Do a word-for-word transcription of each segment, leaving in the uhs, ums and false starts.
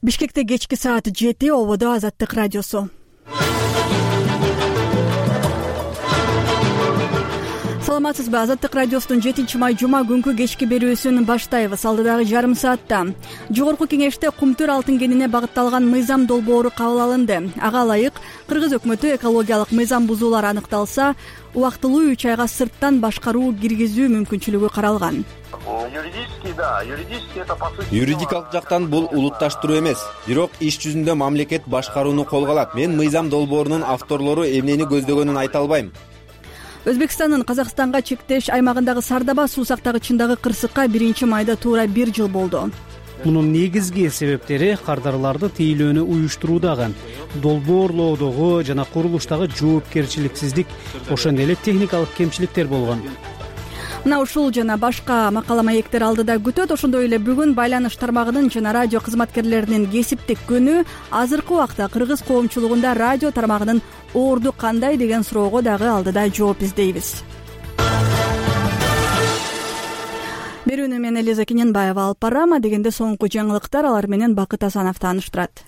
Бишкекте кечки саат жети, ободо Азаттык радиосу. Саламатсызбы? Азаттык радиосунун жетинчи май жума күнкү кечки берүүсүн баштайбыз. Алдыдагы жарым саатта жогорку кеңеште кумтөр алтын кенине багытталган мыйзам долбоору кабыл алынды. Ага ылайык Кыргыз өкмөтү экологиялык мыйзам бузуулар аныкталса, убактылуу үч айга сырттан башкаруу киргизүү мүмкүнчүлүгү каралган. Юридически, да, юридически это по сути. Юридикалык жактан бул улутташтыруу эмес, бирок иш жүзүндө мамлекет башкарууну колго алат. Мен мыйзам долбоорунун авторлору эмнени көздөгөнүн айта албайм. Өзбекстандын Казакстанга чектеш аймагындагы Сардаба суу сактагычындагы кырсыкка биринчи майда туура бир жыл болду. Мунун негизги себептери кардарларды тейлөөнү уюштуруудагы, долбоорлоодогу жана курулуштагы жоопкерчиликсиздик, ошондой эле техникалык кемчиликтер болгон. Мына ушул жана башка макала маектер алдыда күтөт. Ошондой эле бүгүн байланыш тармагынын жана радио кызматкерлеринин кесиптик күнү. Азыркы убакта кыргыз коомчулугунда радио тармагынын орду кандай деген суроого дагы алдыда жооп издейбиз. Берүүнү мен Элиза Кененбаева алып барам. Дегенде соңку жаңылыктар, алар менен Бакыт Асанов тааныштырат.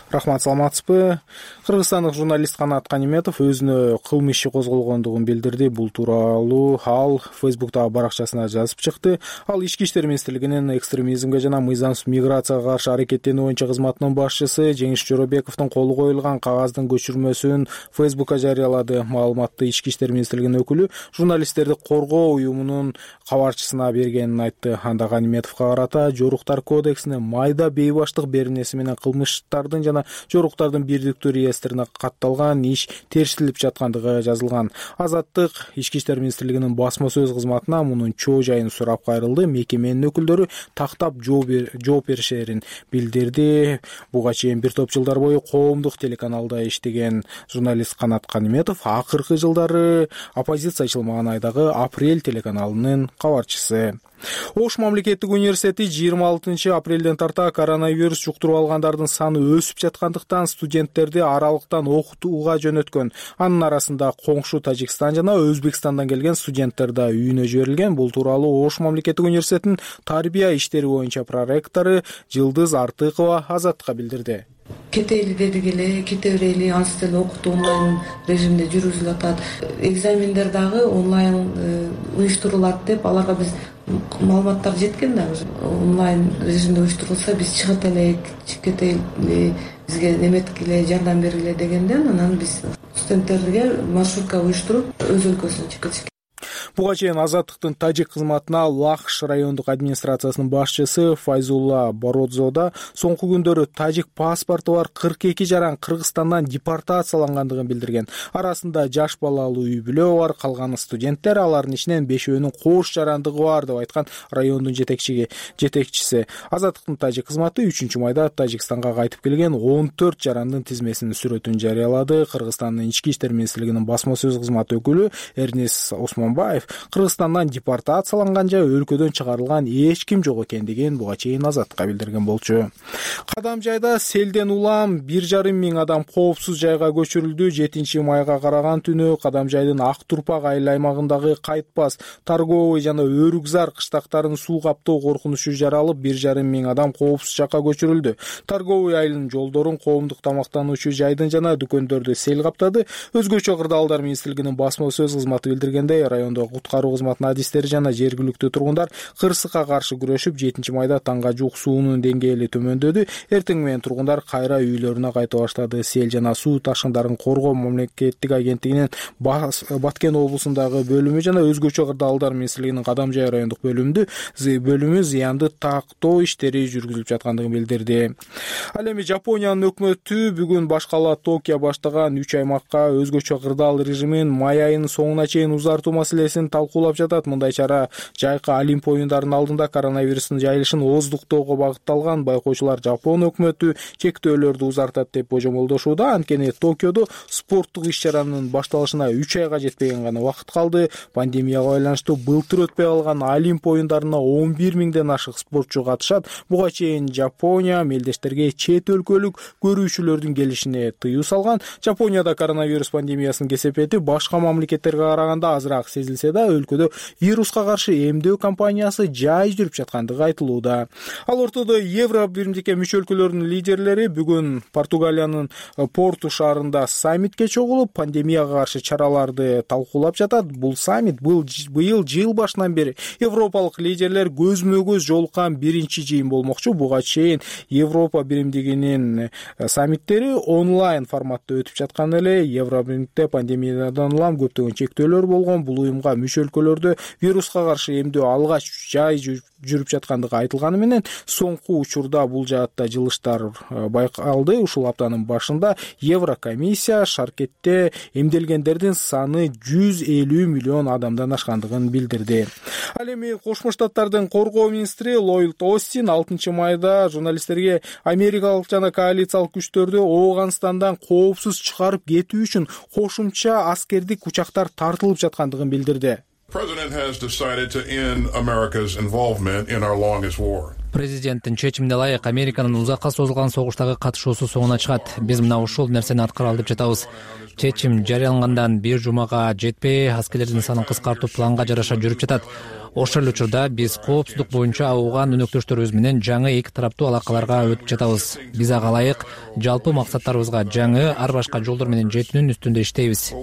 Рахмат, саламатсызбы? Кыргызстандык журналист Канат Каниметов өзүнө кылмыш иши козголгондугун билдирди. Бул тууралуу ал Фейсбуктагы баракчасына жазып чыкты. Ал Ички иштер министрлигинин экстремизмге жана мыйзамсыз миграцияга каршы аракеттенүү боюнча кызматынын башчысы Жеңиш Жоробековдун колу коюлган кагаздын көчүрмөсүн Фейсбукка жарыялады. Маалыматты Ички иштер министрлигинин өкүлү журналисттерди коргоо уюмунун кабарчысына бергенин айтты. Анда Каниметовго карата жоруктар кодексине майда бейбаштык беренеси менен кылмыштардын жана жоруктардын бирдиктүү реестрине катталган иш терсилип жаткандыгы жазылган. Азаттык Ички иштер министрлигинин басма сөз кызматына мунун чоо жайын сурап кайрылды. Мекеменин өкүлдөрү тактап жооп беришерин билдирди. Буга чейин бир топ жылдар бою коомдук телеканалда иштеген журналист Канат Каниметов акыркы жылдары оппозициячыл маанайдагы Апрель телеканалынын кабарчысы. Ош мамлекеттик университети жыйырма алтынчы апрелден тарта коронавирус жуктуруп алгандардын саны өсүп жаткандыктан студенттерди аралыктан окутууга жөнөткөн. Анын арасында коңшу Тажикстан жана Өзбекстандан келген студенттер да үйүнө жиберилген. Бул тууралуу Ош мамлекеттик университетинин тарбия иштери боюнча проректору Жылдыз Артыкова Азатка билдирди. Кетели дедик эле, кете берели, ансы деле окутуу онлайн режимде жүргүзүлүп атат. Экзамендер дагы онлайн уюштурулат деп аларга биз маалыматтар жеткен да. Онлайн режимде уюштурулса биз чыгып элек, кетели, бизге неметкиле, жардам бергиле дегенден анан биз студенттерге маршрутка уюштуруп өз өлкөсүнө чыгып кетишкен. Буга чейин Азаттыктын тажик кызматына Лахш райондук администрациясынын башчысы Файзулла Бородзо да соңку күндөрү тажик паспорту бар кырк эки жаран Кыргызстандан депортациялангандыгын билдирген. Арасында жаш балалуу үй бүлө бар, калганы студенттер, алардын ичинен бешөөнүн кош жарандыгы бар деп айткан райондун жетекчиси. Жетекчиси Азаттыктын тажик кызматы үчүнчү майда Тажикстанга кайтып келген он төрт жарандын тизмесинин сүрөтүн жарыялады. Кыргызстандын ички иштер министрлигинин басма сөз кызматы өкүлү Эрнес Осмонбаев Кыргызстандан депортацияланган же өлкөдөн чыгарылган эч ким жок экендигин буга чейин Азатка билдирген болчу. Кадамжайда селден улам бир жарым миң адам коопсуз жайга көчүрүлдү. жетинчи майга караган түнү Кадамжайдын Ак Турпак айыл аймагындагы Кайтпас, Торговый жана Өрүкзар кыштактарын суу каптоо коркунучу жаралып, бир жарым миң адам коопсуз жакка көчүрүлдү. Торговый айылынын жолдорун, коомдук тамактануучу жайдын жана дүкөндөрдү сел каптады. Өзгөчө кырдаалдар министрлигинин басма сөз кызматы билдиргендей, райондо куткаруу кызматынын адистери жана жергиликтүү тургундар кырсыкка каршы күрөшүп, жетинчи майда таңга жуук суунун деңгээли төмөндөдү. Эртең менен тургундар кайра үйлөрүнө кайта баштады. Сел жана суу ташкындарын коргоо мамлекеттик агенттигинин Баткен облусундагы бөлүмү жана өзгөчө кырдаалдар министрлигинин Кадамжай райондук бөлүмүндө бөлүмү зыянды тактоо иштери жүргүзүлүп жаткандыгын билдирди. Ал эми Жапониянын өкмөтү бүгүн баш кала Токио баштаган үч аймакка өзгөчө кырдаал режимин май айынын соңуна чейин узартуу маселесин талкуулап жатат. Мындай чара жайкы Олимп оюндарынын алдында коронавирустун жайылышын ооздуктоого багытталган. Байкоочулар Жапон өкмөтү чектөөлөрдү узартат деп божомолдошууда. Анткени Токиодо спорттук иш-чаранын башталышына үч айга жетпеген гана убакыт калды. Пандемияга байланыштуу былтыр өтпөй калган Олимп оюндарына он бир миңден ашык спортчу катышат. Буга чейин Жапония мелдештерге чет өлкөлүк көрүүчүлөрдүн келишине тыюу салган. Жапонияда коронавирус пандемиясынын кесепети башка мамлекеттерге караганда азыраак сезилсе Францияда өлкөдө вируска каршы эмдөө кампаниясы жай жүрүп жаткандыгы айтылууда. Ал ортодо Евро биримдикке мүчө өлкөлөрдүн лидерлери бүгүн Португалиянын Порту шаарында саммитке чогулуп, пандемияга каршы чараларды талкуулап жатат. Бул саммит быйыл жыл башынан бери европалык лидерлер көзмө-көз жолуккан биринчи жыйын болмокчу. Буга чейин Европа биримдигинин саммиттери онлайн форматта өтүп жаткан эле. Евро биримдикте пандемиядан улам көптөгөн чектөөлөр болгон. Бул уюмга мүчө өлкөлөрдө вируска каршы эмдөө алгач жай жүрүп жаткандыгы айтылганы менен соңку учурда бул жаатта жылыштар байкалды. Ушул аптанын башында Еврокомиссия шаркетте эмделгендердин саны жүз элүү миллион адамдан ашкандыгын билдирди. Ал эми Кошмо Штаттардын коргоо министри Ллойд Остин алтынчы майда журналисттерге америкалык жана коалициялык күчтөрдү Ооганстандан коопсуз чыгарып кетүү үчүн кошумча аскердик учактар тартылып жаткандыгын билдирди. Президенттин чечимине ылайык Американын узакка созулган согуштагы катышуусу соңуна чыгат. Биз мына ушул нерсени аткаралы деп жатабыз. Чечим жарыялангандан бир жумага жетпей, аскерлердин санын кыскартуу планга жараша жүрүп жатат. Ошол эле учурда биз коопсуздук боюнча ауган өнөктөштөрүбүз менен жаңы эки тараптуу алакаларга өтүп жатабыз. Биз ага ылайык жалпы максаттарыбызга жаңы ар башка жолдор менен жетүүнүн үстүндө иштейбиз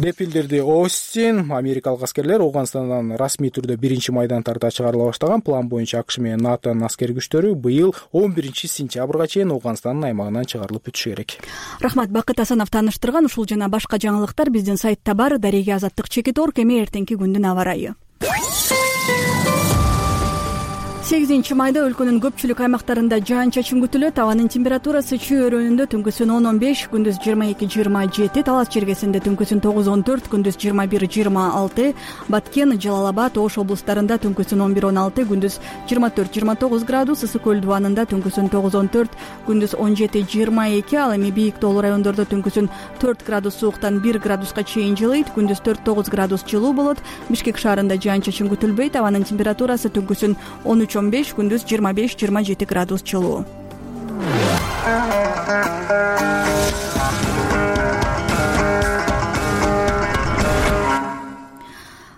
деп билдирди Остин. Америкалык аскерлер Ооганстандан расмий түрдө биринчи майдан тарта чыгарыла баштаган. План боюнча АКШ менен НАТОнун аскер күчтөрү быйыл он биринчи сентябрга чейин Ооганстандын аймагынан чыгарылып өтүшү керек. Рахмат, Бакыт Асанов тааныштырган. Ушул жана башка жаңылыктар биздин сайтта бар. Дареге Азаттык чекит орг. Эми эртеңки күндүн аба ырайы. сегизинчи майда өлкөнүн көпчүлүк аймактарында жаан-чачын күтүлөт. Абанын температурасы Чүй өрөөнүндө түнкүсүн он он беш, күндүз жыйырма эки жыйырма жети, Талас чергесинде түнкүсүн тогуз он төрт, күндүз жыйырма бир жыйырма алты, Баткен, Жалал Абад, Ош облустарында түнкүсүн он бир он алты, күндүз жыйырма төрт жыйырма тогуз градус, Ысык көл дубанында түнкүсүн тогуз он төрт, күндүз он жети жыйырма эки, ал эми бийик тоолуу райондордо түнкүсүн төрт градус сууктан бир градуска чейин жылыйт, күндүз төрт тогуз градус жылуу болот. Бишкек шаарында жаан-чачын күтүлбөйт. Абанын температурасы түнкүсүн он үч он беш, күндүз жыйырма беш жыйырма жети градус жылуу.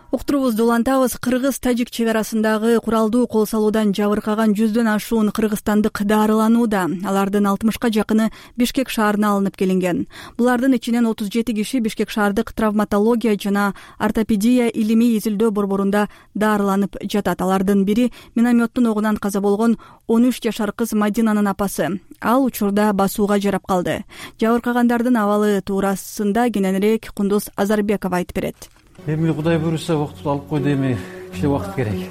Уктурубузду улантабыз. Кыргыз-тажик чек арасындагы куралдуу кол салуудан жабыркаган жүздөн ашуун кыргызстандык дарыланууда. Алардын алтымышка жакыны Бишкек шаарына алынып келинген. Булардын ичинен отуз жети киши Бишкек шаардык травматология жана ортопедия илимий изилдөө борборунда дарыланып жатат. Алардын бири минометтун огунан каза болгон он үч жашар кыз Мадинанын апасы. Ал учурда басууга жарап калды. Жабыркагандардын абалы туурасында кененирээк Кундуз Азарбекова айтып берет. Эми Кудай буйруса убактылуу алып койду, эми кичине убакыт керек.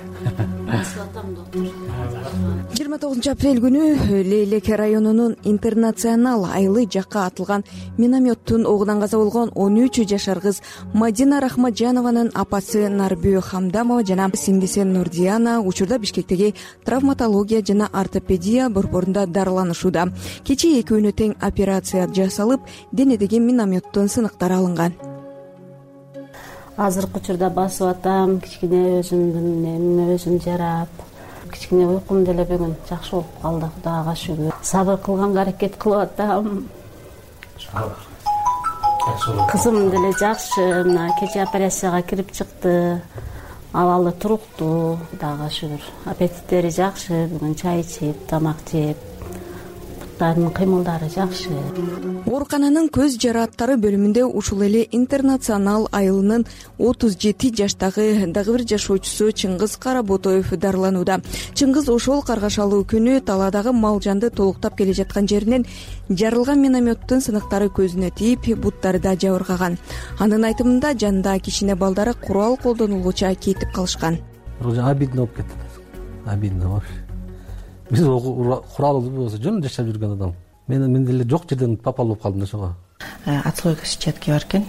жыйырма тогузунчу апрель күнү Лейлек районунун Интернационал айылы жакка атылган минометтун огунан каза болгон он үч жашар кыз Мадина Рахматжанованын апасы Нарбү Хамдамова жана сиңдиси Нурдияна учурда Бишкектеги травматология жана ортопедия борборунда дарыланышууда. Кечээ экөөнө тең операция жасалып, денедеги минометтун сыныктары алынган. Азыркы учурда басып атам, кичине өзүмдүн эмне өзүм жарап, кичине уйкум деле бүгүн жакшы болуп калды, Кудайга шүгүр. Сабыр кылганга аракет кылып атам. Кызым деле жакшы, мына кечээ операцияга кирип чыкты. Абалы туруктуу, Кудайга шүгүр. Аппетиттери жакшы, бүгүн чай ичип, тамак жеп. Буттардын кыймылдары жакшы. Оорукананын көз жарааттары бөлүмүндө ушул эле Интернационал айылынын отуз жети жаштагы дагы бир жашоочусу Чыңгыз Каработоев дарыланууда. Чыңгыз ошол каргашалуу күнү талаадагы мал жанды толуктап келе жаткан жеринен жарылган минометтун сыныктары көзүнө тийип, буттары да жабыркаган. Анын айтымында жанында кичине балдары курал колдонулгуча кетип калышкан. Обидно болуп кетти. Обидно вообще. Биз курал болсо жөн жашап жүргөн адам. Мен мен деле жок жерден попал болуп калдым ошого. Отслойка сетчатки бар экен.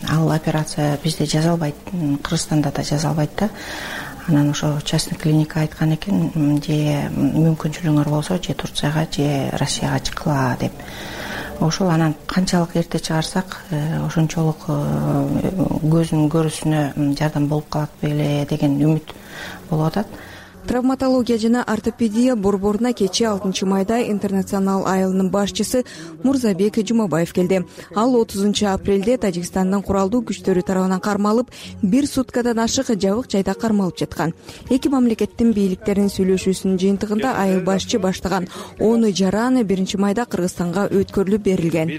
Ал операция бизде жазалбайт, Кыргызстанда да жазалбайт да. Анан ошо частный клиника айткан экен, же мүмкүнчүлүгүңөр болсо, же Турцияга, же Россияга чыккыла деп. Ошол анан канчалык эрте чыгарсак, ошончолук көзүнүн көрүүсүнө жардам болуп калат беле деген үмүт болуп атат. Травматология жана ортопедия борборуна кечээ алтынчы майда Интернационал айылынын башчысы Мурзабек Жумабаев келди. Ал отузунчу апрелде Тажикстандын куралдуу күчтөрү тарабынан кармалып, бир суткадан ашык жабык жайда кармалып жаткан. Эки мамлекеттин бийликтеринин сүйлөшүүсүнүн жыйынтыгында айыл башчы баштаган он жаран биринчи майда Кыргызстанга өткөрүлүп берилген.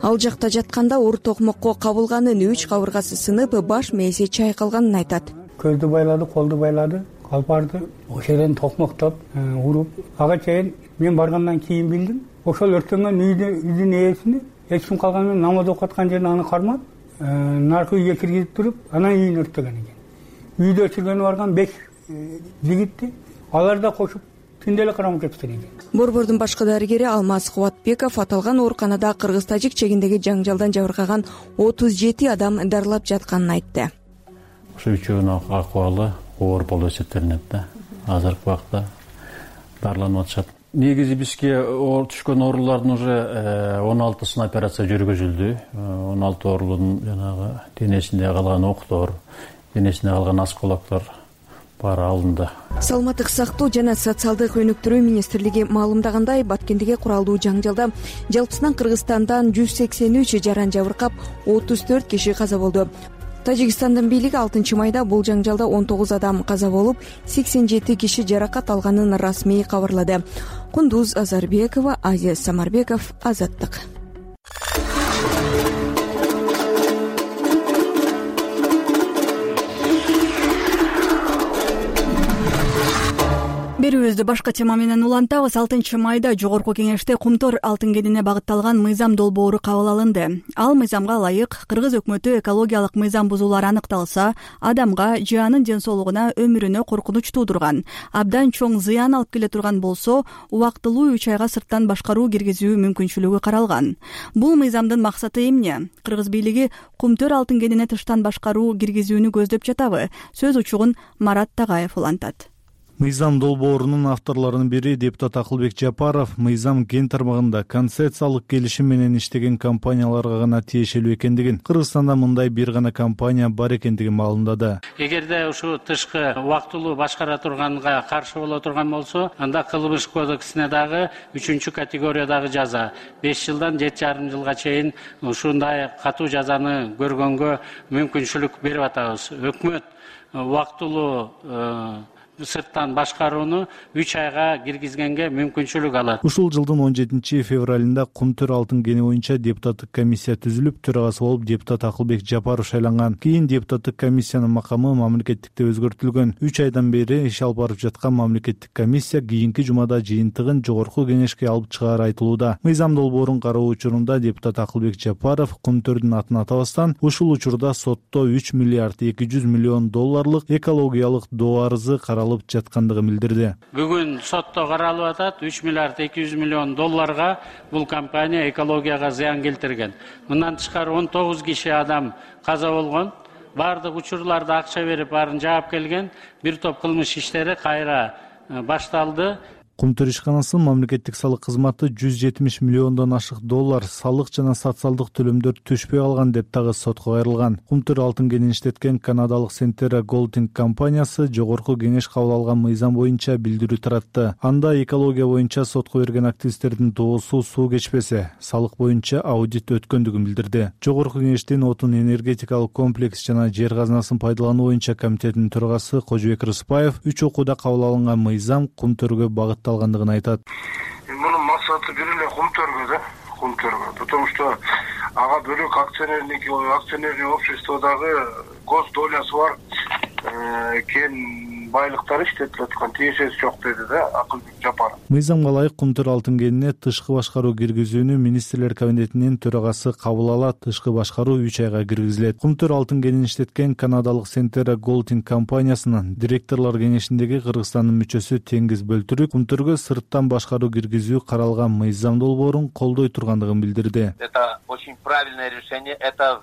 Ал жакта жатканда оор токмокко кабылганын, үч кабыргасы сынып, баш мээси чайкалганын айтат. Көздү байлады, колду байлады, калпарды ошол жерден токмоктоп уруп, ага чейин мен баргандан кийин билдим. Ошол өрттөнгөн үйдүн ээсини эч ким калган менен намаз окуп аткан жерин аны кармап, наркы үйгө киргизип туруп, анан үйүн өрттөгөн экен. Үйдө өчүргөнү барган беш жигитти алар да кошуп түндө эле кармап кетишкен экен. Борбордун башкы дарыгери Алмаз Кубатбеков аталган ооруканада кыргыз-тажик чегиндеги жаңжалдан жабыркаган отуз жети адам дарылап жатканын айтты. Ошо үчөөнүн акыбалы оор болуп эсептелинет да. Азыркы убакта дарыланып атышат. Негизи бизге түшкөн оорулардын уже он алтысын операция жүргүзүлдү. он алты оорунун жанагы денесинде калган октор, денесинде калган осколоктор баары алынды. Саламаттык сактоо жана социалдык өнүктүрүү министрлиги маалымдагандай, Баткендеги куралдуу жаңжалда жалпысынан Кыргызстандан жүз сексен үч жаран жабыркап, отуз төрт киши каза болду. Тажикстандын бийлиги алтынчы майда бул жаңжалда он тогуз адам каза болуп, сексен жети киши жаракат алганын расмий кабарлады. Кундуз Азарбекова, Азиз Самарбеков, Азаттык. Берүүбүздү башка тема менен улантабыз. алтынчы майда жогорку кеңеште кумтөр алтын кенине багытталган мыйзам долбоору кабыл алынды. Ал мыйзамга ылайык Кыргыз өкмөтү экологиялык мыйзам бузуулар аныкталса, адамга же анын ден соолугуна, өмүрүнө коркунуч туудурган, абдан чоң зыян алып келе турган болсо, убактылуу үч айга сырттан башкаруу киргизүү мүмкүнчүлүгү каралган. Бул мыйзамдын максаты эмне? Кыргыз бийлиги кумтөр алтын кенине тыштан башкаруу киргизүүнү көздөп жатабы? Сөз учугун Марат Тагаев улантат. Мыйзам долбоорунун авторлорунун бири депутат Акылбек Жапаров мыйзам кен тармагында концессиялык келишим менен иштеген компанияларга гана тиешелүү экендигин, Кыргызстанда мындай бир гана компания бар экендигин маалымдады. Эгерде ушу тышкы убактылуу башкара турганга каршы боло турган болсо, анда кылмыш кодексине дагы үчүнчү категориядагы жаза беш жылдан жети жарым жылга чейин ушундай катуу жазаны көргөнгө мүмкүнчүлүк берип атабыз. Өкмөт убактылуу сырттан башкарууну үч айга киргизгенге мүмкүнчүлүк алат. Ушул жылдын он жетинчи февралында кумтөр алтын кени боюнча депутаттык комиссия түзүлүп, төрагасы болуп депутат Акылбек Жапаров шайланган. Кийин депутаттык комиссиянын макамы мамлекеттикте өзгөртүлгөн. үч айдан бери иш алып барып жаткан мамлекеттик комиссия кийинки жумада жыйынтыгын жогорку кеңешке алып чыгары айтылууда. Мыйзам долбоорун кароо учурунда депутат Акылбек Жапаров кумтөрдүн атын атабастан, ушул учурда сотто үч миллиард эки жүз миллион долларлык экологиялык доо арызы каралып жаткандыгын билдирди. Бүгүн сотто каралып атат, үч миллиард эки жүз миллион долларга бул компания экологияга зыян келтирген. Мындан тышкары он тогуз киши адам каза болгон. Бардык учурларда акча берип баарын жаап келген. Бир топ кылмыш иштери кайра башталды. Кумтөр ишканасынын мамлекеттик салык кызматы жүз жетимиш миллиондон ашык доллар салык жана социалдык төлөмдөр түшпөй алган деп дагы сотко кайрылган. Кумтөр алтын кенин иштеткен канадалык Centera Golding компаниясы жогорку кеңеш кабыл алган мыйзам боюнча билдирүү таратты. Анда экология боюнча сотко берген активисттердин доосу суу кечпесе, салык боюнча аудит өткөндүгүн билдирди. Жогорку кеңештин отун энергетикалык комплекс жана жер казынасын пайдалануу боюнча комитетинин төрагасы Кожобек Рыспаев үч окууда кабыл алынган мыйзам кумтөргө багытталган алгандыгын айтат. Мунун максаты бир эле кумтөргө да, кумтөргө. Потому что ага бөлөк акционердик акционерный обществодагы гос долясы бар кен байлыктар иштетип аткан, тиешеси жок деди да Акылбек Жапаров. Мыйзамга ылайык кумтөр алтын кенине тышкы башкаруу киргизүүнү министрлер кабинетинин төрагасы кабыл алат. Тышкы башкаруу үч айга киргизилет. Кумтөр алтын кенин иштеткен канадалык Centera Golding компаниясынын директорлор кеңешиндеги Кыргызстандын мүчөсү Теңиз Бөлтүрүк кумтөргө сырттан башкаруу киргизүү каралган мыйзам долбоорун колдой тургандыгын билдирди. Это очень правильное решение. Это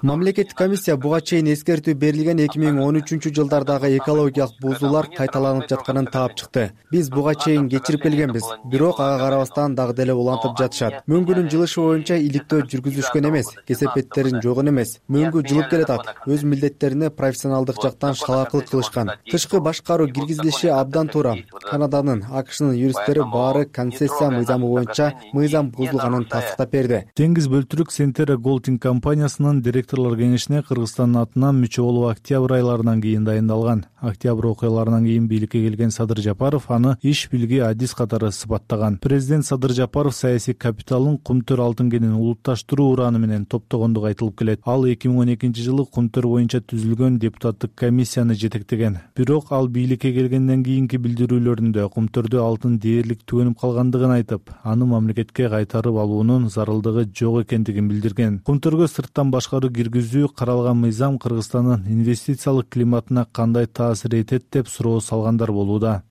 мамлекеттик комиссия буга чейин эскертүү берилген эки миң он үчүнчү жылдардагы экологиялык бузуулар кайталанып жатканын таап чыкты. Биз буга чейин кечирип келгенбиз, бирок ага карабастан дагы деле улантып жатышат. Мөңгүнүн жылышы боюнча иликтөө жүргүзүшкөн эмес, кесепеттерин жойгон эмес. Мөңгү жылып келатат. Өз милдеттерине профессионалдык жактан шалаакылык кылышкан. Тышкы башкаруу киргизилиши абдан туура. Канаданын, АКШнын юристтери баары концессия мыйзамы боюнча мыйзам бузулганын тастыктап берди. Теңиз бөлтүрүк Сентера Голдинг компаниясынын директорлор кеңешине Кыргызстандын атынан мүчө болуп октябрь айларынан кийин дайындалган. Октябрь окуяларынан кийин бийликке келген Садыр Жапаров аны иш билги адис катары сыпаттаган. Президент Садыр Жапаров саясий капиталын Кумтөр алтын кенин улутташтыруу ураны менен топтогондугу айтылып келет. Ал эки миң он экинчи жылы Кумтөр боюнча түзүлгөн депутаттык комиссияны жетектеген. Бирок ал бийликке келгенден кийинки билдирүүлөрүндө Кумтөрдө алтын дээрлик түгөнүп калгандыгын айтып, аны мамлекетке кайтарып алуунун зарылдыгы жок экендигин билдирген. Кумтөргө сырттан башкаруу киргизүү каралган мыйзам Кыргызстандын инвестициялык климатына кандай таасир этет деп суроо салгандар болууда.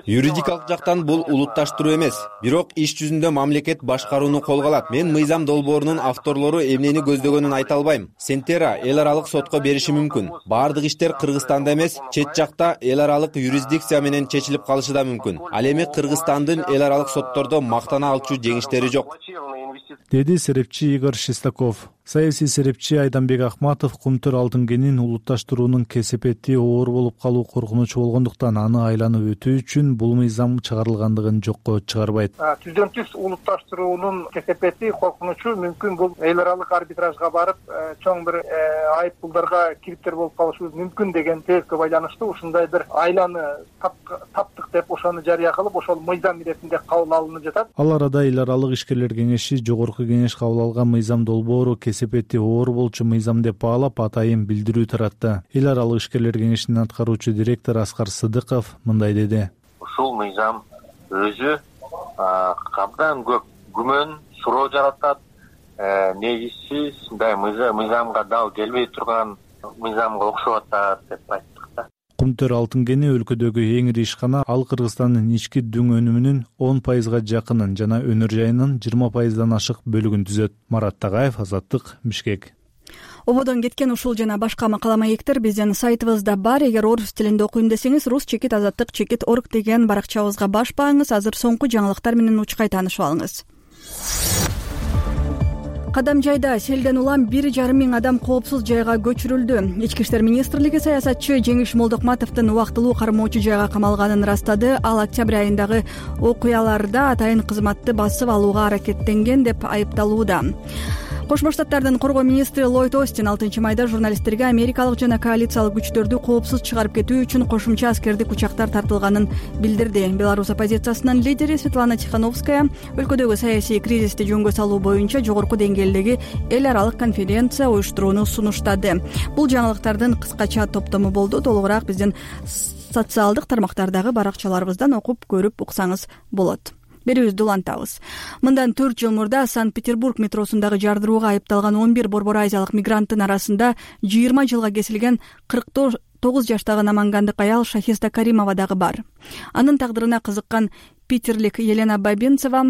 Юридикалык жактан бул улутташтыруу эмес, бирок иш жүзүндө мамлекет башкарууну колго алат. Мен мыйзам долбоорунун авторлору эмнени көздөгөнүн айта албайм. Сентера эл аралык сотко бериши мүмкүн. Баардык иштер Кыргызстанда эмес, чет жакта эл аралык юрисдикция менен чечилип калышы да мүмкүн. Ал эми Кыргызстандын эл аралык соттордо мактана алчу жеңиштери жок, деди серепчи Игорь Шестаков. Саясий серепчи Айданбек Ахматов Кумтөр алтын кенин улутташтыруунун кесепети оор болуп калуу коркунучу болгондуктан аны айланып өтүү үчүн бул мыйзам чыгарылгандыгын жокко чыгарбайт. Түздөн түз улутташтыруунун кесепети, коркунучу мүмкүн бул эл аралык арбитражга барып, чоң бир айып пулдарга кириптер болуп калышыбыз мүмкүн деген себепке байланыштуу ушундай бир айланы таптык деп ошону жарыя кылып, ошол мыйзам иретинде кабыл алынып жатат. Ал арада эл аралык ишкерлер кеңеши жогорку кеңеш кабыл алган мыйзам долбоору кесепети оор болчу мыйзам деп баалап атайын билдирүү таратты. Эл аралык ишкерлер кеңешинин аткаруучу директору Аскар Сыдыков мындай деди. Ушул мыйзам өзү абдан көп күмөн, суроо жаратат. Негизсиз мындай мыйзамга дал келбей турган мыйзамга окшоп атат деп айттык да. Кумтөр алтын кени өлкөдөгү эң ири ишкана. Ал Кыргызстандын ички дүң өнүмүнүн он пайызга жакынын жана өнөр жайынын жыйырма пайыздан ашык бөлүгүн түзөт. Марат Тагаев, Азаттык, Бишкек. Ободон кеткен ушул жана башка макала маектер биздин сайтыбызда бар. Эгер орус тилинде окуйм десеңиз, рус чекит азаттык чекит орг деген баракчабызга баш бааңыз. Азыр соңку жаңылыктар менен учкай таанышып алыңыз. Кадамжайда селден улам бир жарым миң адам коопсуз жайга көчүрүлдү. Ички иштер министрлиги саясатчы Жеңиш Молдокматовдун убактылуу кармоочу жайга камалганын ырастады. Ал октябрь айындагы окуяларда атайын кызматты басып алууга аракеттенген деп айыпталууда. Кошмо Штаттардын коргоо министри Ллойд Остин алтынчы майда журналисттерге америкалык жана коалициялык күчтөрдү коопсуз чыгарып кетүү үчүн кошумча аскердик учактар тартылганын билдирди. Беларусь оппозициясынын лидери Светлана Тихановская өлкөдөгү саясий кризисти жөнгө салуу боюнча жогорку деңгээлдеги эл аралык конференция уюштурууну сунуштады. Бул жаңылыктардын кыскача топтому болду. Толугураак биздин социалдык тармактардагы баракчаларыбыздан окуп көрүп уксаңыз болот. Берүүбүздү улантабыз. Мындан төрт жыл мурда Санкт-Петербург метросундагы жардырууга айыпталган он бир борбор азиялык мигранттын арасында жыйырма жылга кесилген кырк тогуз жаштагы намангандык аял Шахизда Каримова дагы бар. Анын тагдырына кызыккан питерлик Елена Бабинцева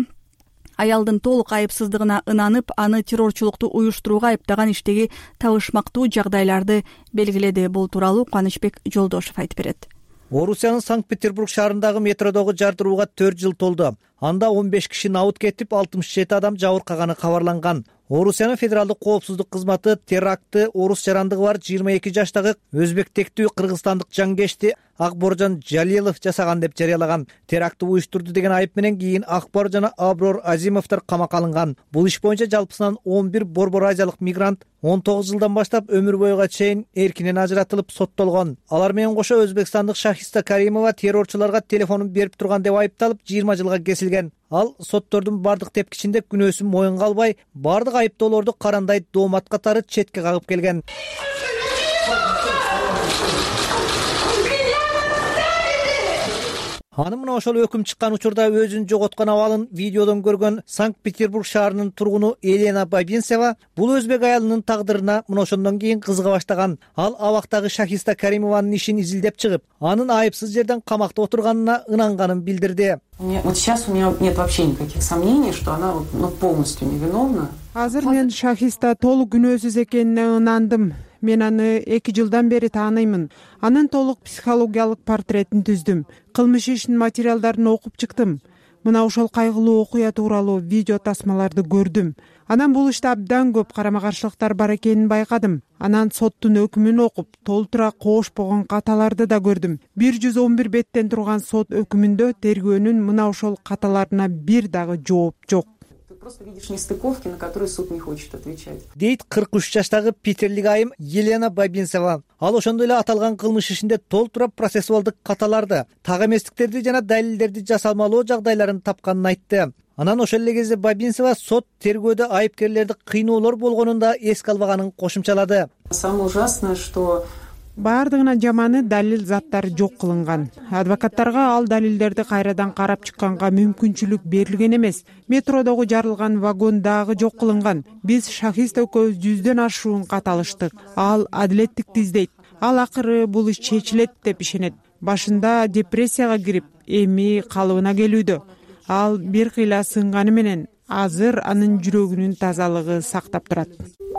аялдын толук айыпсыздыгына ынанып, аны террорчулукту уюштурууга айыптаган иштеги табышмактуу жагдайларды белгиледи. Бул тууралуу Кубанычбек Жолдошев айтып берет. Орусиянын Санкт-Петербург шаарындагы метродогу жардырууга төрт жыл толду. Анда он беш киши набыт кетип, алтымыш жети адам жабыркаганы кабарланган. Орусиянын федералдык коопсуздук кызматы терактты орус жарандыгы бар жыйырма эки жаштагы өзбек тектүү кыргызстандык жангешти Акборжон Жалилов жасаган деп жарыялаган. Терактты уюштурду деген айып менен кийин Акбор жана Аброр Азимовдор камакка алынган. Бул иш боюнча жалпысынан он бир борбор азиялык мигрант он тогуз жылдан баштап өмүр бойга чейин эркинен ажыратылып соттолгон. Алар менен кошо өзбекстандык Шахизда Каримова террорчуларга телефонун берип турган деп айыпталып жыйырма жылга кесилген. Ал соттордун бардык тепкичинде күнөөсүн моюнга албай, бардык айыптоолорду карандай доомат катары четке кагып келген. анын мына ошол өкүм чыккан учурда өзүн жоготкон абалын видеодон көргөн Санкт-Петербург шаарынын тургуну Елена Бабинцева бул өзбек аялынын тагдырына мына ошондон кийин кызыга баштаган. Ал абактагы Шахиста Каримованын ишин изилдеп чыгып, анын айыпсыз жерден камакта отурганына ынанганын билдирди. Вот сейчас у меня нет вообще никаких сомнений, что она ну, полностью невиновна. Азыр мен Шахиста толук күнөөсүз экенине ынандым. Мен аны эки жылдан бери тааныймын. Анын толук психологиялык портретин түздүм. Кылмыш ишинин материалдарын окуп чыктым. Мына ошол кайгылуу окуя тууралуу видео тасмаларды көрдүм. Анан бул иште абдан көп карама каршылыктар бар экенин байкадым. Анан соттун өкүмүн окуп, толтура кошпогон каталарды да көрдүм. бир жүз он бир беттен турган сот өкүмүндө тергөөнүн мына ошол каталарына бир дагы жооп жок. Просто видишь нестыковки, на которые суд не хочет отвечать. Дейт кырк үч жаштагы питерлик айым Елена Бабинцева. Ал ошондой эле аталган кылмыш ишинде толтура процессуалдык каталарды, так эместиктерди жана далилдерди жасалмалоо жагдайларын тапканын айтты. Анан ошол эле кезде Бабинцева сот тергөөдө айыпкерлерди кыйноолор болгонун да эске албаганын кошумчалады. Самое ужасное, что баардыгына жаманы далил заттары жок кылынган. Адвокаттарга ал далилдерди кайрадан карап чыкканга мүмкүнчүлүк берилген эмес. Метродогу жарылган вагон дагы жок кылынган. Биз Шахист экөөбүз жүздөн ашуун кат алыштык. Ал адилеттикти издейт. Ал акыры бул иш чечилет деп ишенет. Башында депрессияга кирип, эми калыбына келүүдө. Ал бир кыйла сынганы менен азыр анын жүрөгүнүн тазалыгы сактап турат.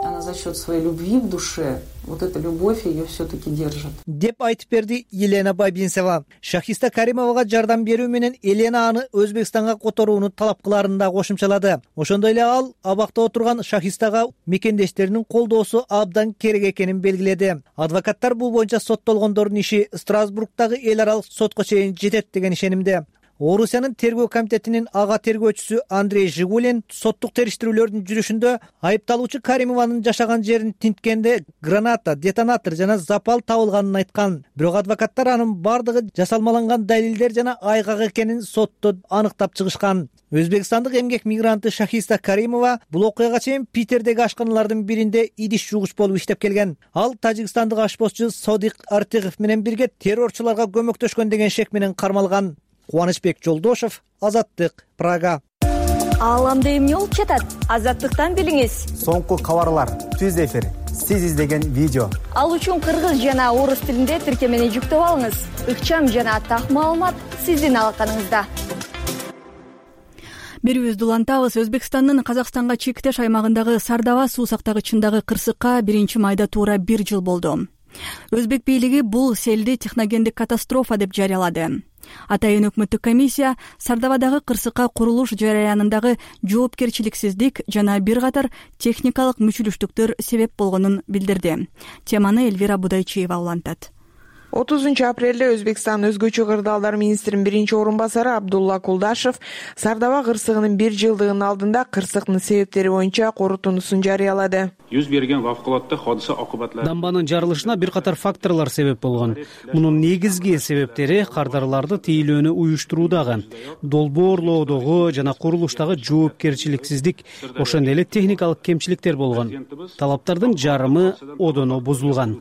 Она за счет своей любви в душе, вот эта любовь ее все-таки держит. Деп айтып берди Елена Бабинцева. Шахиста Каримовага жардам берүү менен Елена аны Өзбекстанга которууну талап кыларын да кошумчалады. Ошондой эле ал абакта отурган Шахистага мекендештеринин колдоосу абдан керек экенин белгиледи. Адвокаттар бул боюнча соттолгондордун иши Страсбургдагы эл аралык сотко чейин жетет деген ишенимде. Орусиянын тергөө комитетинин ага тергөөчүсү Андрей Жигулин соттук териштирүүлөрдүн жүрүшүндө айыпталуучу Каримованын жашаган жерин тинткенде граната, детонатор жана запал табылганын айткан. Бирок адвокаттар анын бардыгы жасалмаланган далилдер жана айгак экенин сотто аныктап чыгышкан. Өзбекстандык эмгек мигранты Шахиста Каримова бул окуяга чейин Питердеги ашканалардын биринде идиш жугуч болуп иштеп келген. Ал тажикстандык ашпозчу Содик Артыгов менен бирге террорчуларга көмөктөшкөн деген шек менен кармалган. Кубанычбек Жолдошев, Азаттык, Прага. Ааламда эмне болуп жатат? Азаттыктан билиңиз. Соңку кабарлар, түз эфир, сиз издеген видео. Ал үчүн кыргыз жана орус тилинде тиркемени жүктөп алыңыз. Ыкчам жана так маалымат сиздин алаканыңызда. Берүүбүздү улантабыз. Өзбекстандын Казакстанга чектеш аймагындагы Сардаба суу сактагычындагы кырсыкка биринчи майда туура бир жыл болду. Өзбек бийлиги бул селди техногендик катастрофа деп жарыялады. Атайын өкмөттүк комиссия Сардабадагы кырсыкка курулуш жараянындагы жоопкерчиликсиздик жана бир катар техникалык мүчүлүштүктөр себеп болгонун билдирди. Теманы Элвира Будайчиева улантат. отузунчу апрелде Өзбекстан өзгөчө кырдаалдар министринин биринчи орун басары Абдулла Кулдашев Сардаба кырсыгынын бир жылдыгынын алдында кырсыктын себептери боюнча корутундусун жарыялады. Жүз берген вавкулатта hodisa окубатлары. Дамбанын жарылышына бир катар факторлор себеп болгон. Мунун негизги себептери кардарларды тейлөөнү уюштуруудагы, долбоорлоодогу жана курулуштагы жоопкерчиликсиздик, ошондой эле техникалык кемчиликтер болгон. Талаптардын жарымы одоно бузулган.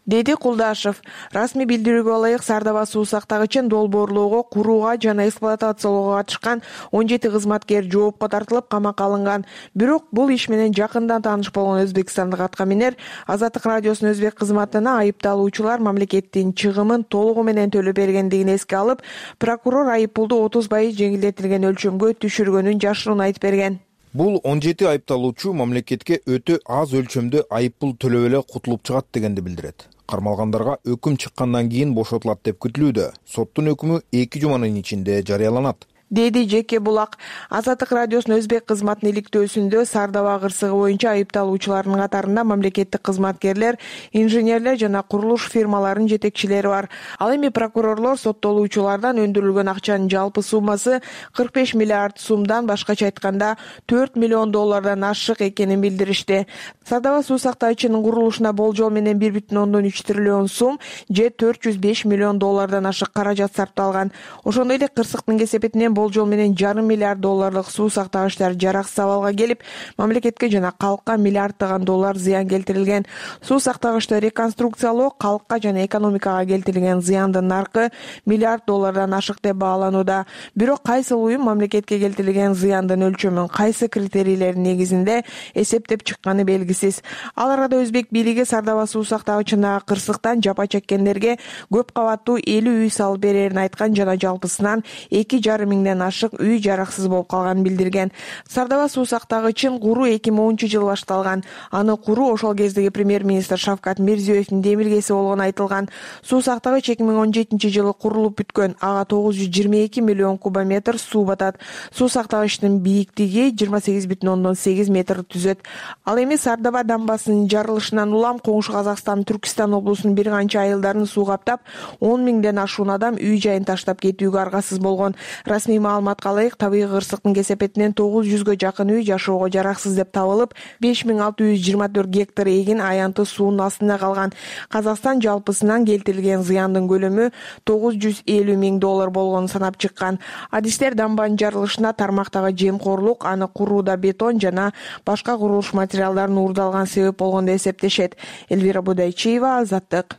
Деди Кулдашев. Расмий билдирүүгө ылайык Сардаба суу сактагычын долбоорлоого, курууга жана эксплуатациялоого катышкан он жети кызматкер жоопко тартылып камакка алынган. Бирок бул иш менен жакындан тааныш болгон өзбекстандык аткаминер Азаттык радиосунун өзбек кызматына айыпталуучулар мамлекеттин чыгымын толугу менен төлөп бергендигин эске алып, прокурор айыппулду отуз пайыз жеңилдетилген өлчөмгө түшүргөнүн жашыруун айтып берген. Бул он жети айыпталуучу мамлекетке өтө аз өлчөмдө айыппул төлөп эле кутулуп чыгат дегенди билдирет. Кармалгандарга өкүм чыккандан кийин бошотулат деп күтүлүүдө. Соттун өкүмү эки жуманын ичинде жарыяланат. Деди Жеке Булак. Азаттык радиосунун өзбек кызматынын иликтөөсүндө Сардаба кырсыгы боюнча айыпталуучулардын катарында мамлекеттик кызматкерлер, инженерлер жана курулуш фирмаларынын жетекчилери бар. Ал эми прокурорлор соттолуучулардан өндүрүлгөн акчанын жалпы суммасы кырк беш миллиард сумдан, башкача айтканда төрт миллион доллардан ашык экенин билдиришти. Сардаба суу сактагычынын курулушуна болжол менен бир бүтүн ондон үч триллион сум же төрт жүз беш миллион доллардан ашык каражат сарпталган. Ошондой эле кырсыктын кесепетинен болжол менен жарым миллиард долларлык суу сактагычтар жараксыз абалга келип, мамлекетке жана калкка миллиарддаган доллар зыян келтирилген. Суу сактагычты реконструкциялоо калкка жана экономикага келтирилген зыяндын наркы миллиард доллардан ашык деп бааланууда. Бирок кайсыл уюм мамлекетке келтирилген зыяндын өлчөмүн кайсы критерийлердин негизинде эсептеп чыкканы белгисиз. Ал арада өзбек бийлиги Сардаба суу сактагычындагы кырсыктан жапа чеккендерге көп кабаттуу элүү үй салып берерин айткан жана жалпысынан эки жарым миңден ашык үй жараксыз болуп калганын билдирген. Сардаба суу сактагычын куруу эки миң онунчу жылы башталган. Аны куруу ошол кездеги премьер-министр Шавкат Мирзиёевдин демилгеси болгону айтылган. Суу сактагыч эки миң он жетинчи жылы курулуп бүткөн. Ага тогуз жүз жыйырма эки миллион кубометр суу батат. Суу сактагычтын бийиктиги жыйырма сегиз бүтүн ондон сегиз метр түзөт. Ал эми Сардаба дамбасынын жарылышынан улам коңшу Казакстан, Түркистан облусунун бир канча айылдарын суу каптап, он миңден ашуун адам үй жайын таштап кетүүгө аргасыз болгон. Расмий маалыматка ылайык, табигый кырсыктын кесепетинен тогуз жүзгө жакын үй жашоого жараксыз деп табылып, беш миң алты жүз жыйырма төрт гектар эгин аянты суунун астында калган. Казакстан жалпысынан келтирилген зыяндын көлөмү тогуз жүз элүү миң доллар болгонун санап чыккан. Адистер дамбанын жарылышына тармактагы жемкорлук, аны курууда бетон жана башка курулуш материалдарын уурдалган себеп болгон деп эсептешет. Элвира Будайчиева, Азаттык.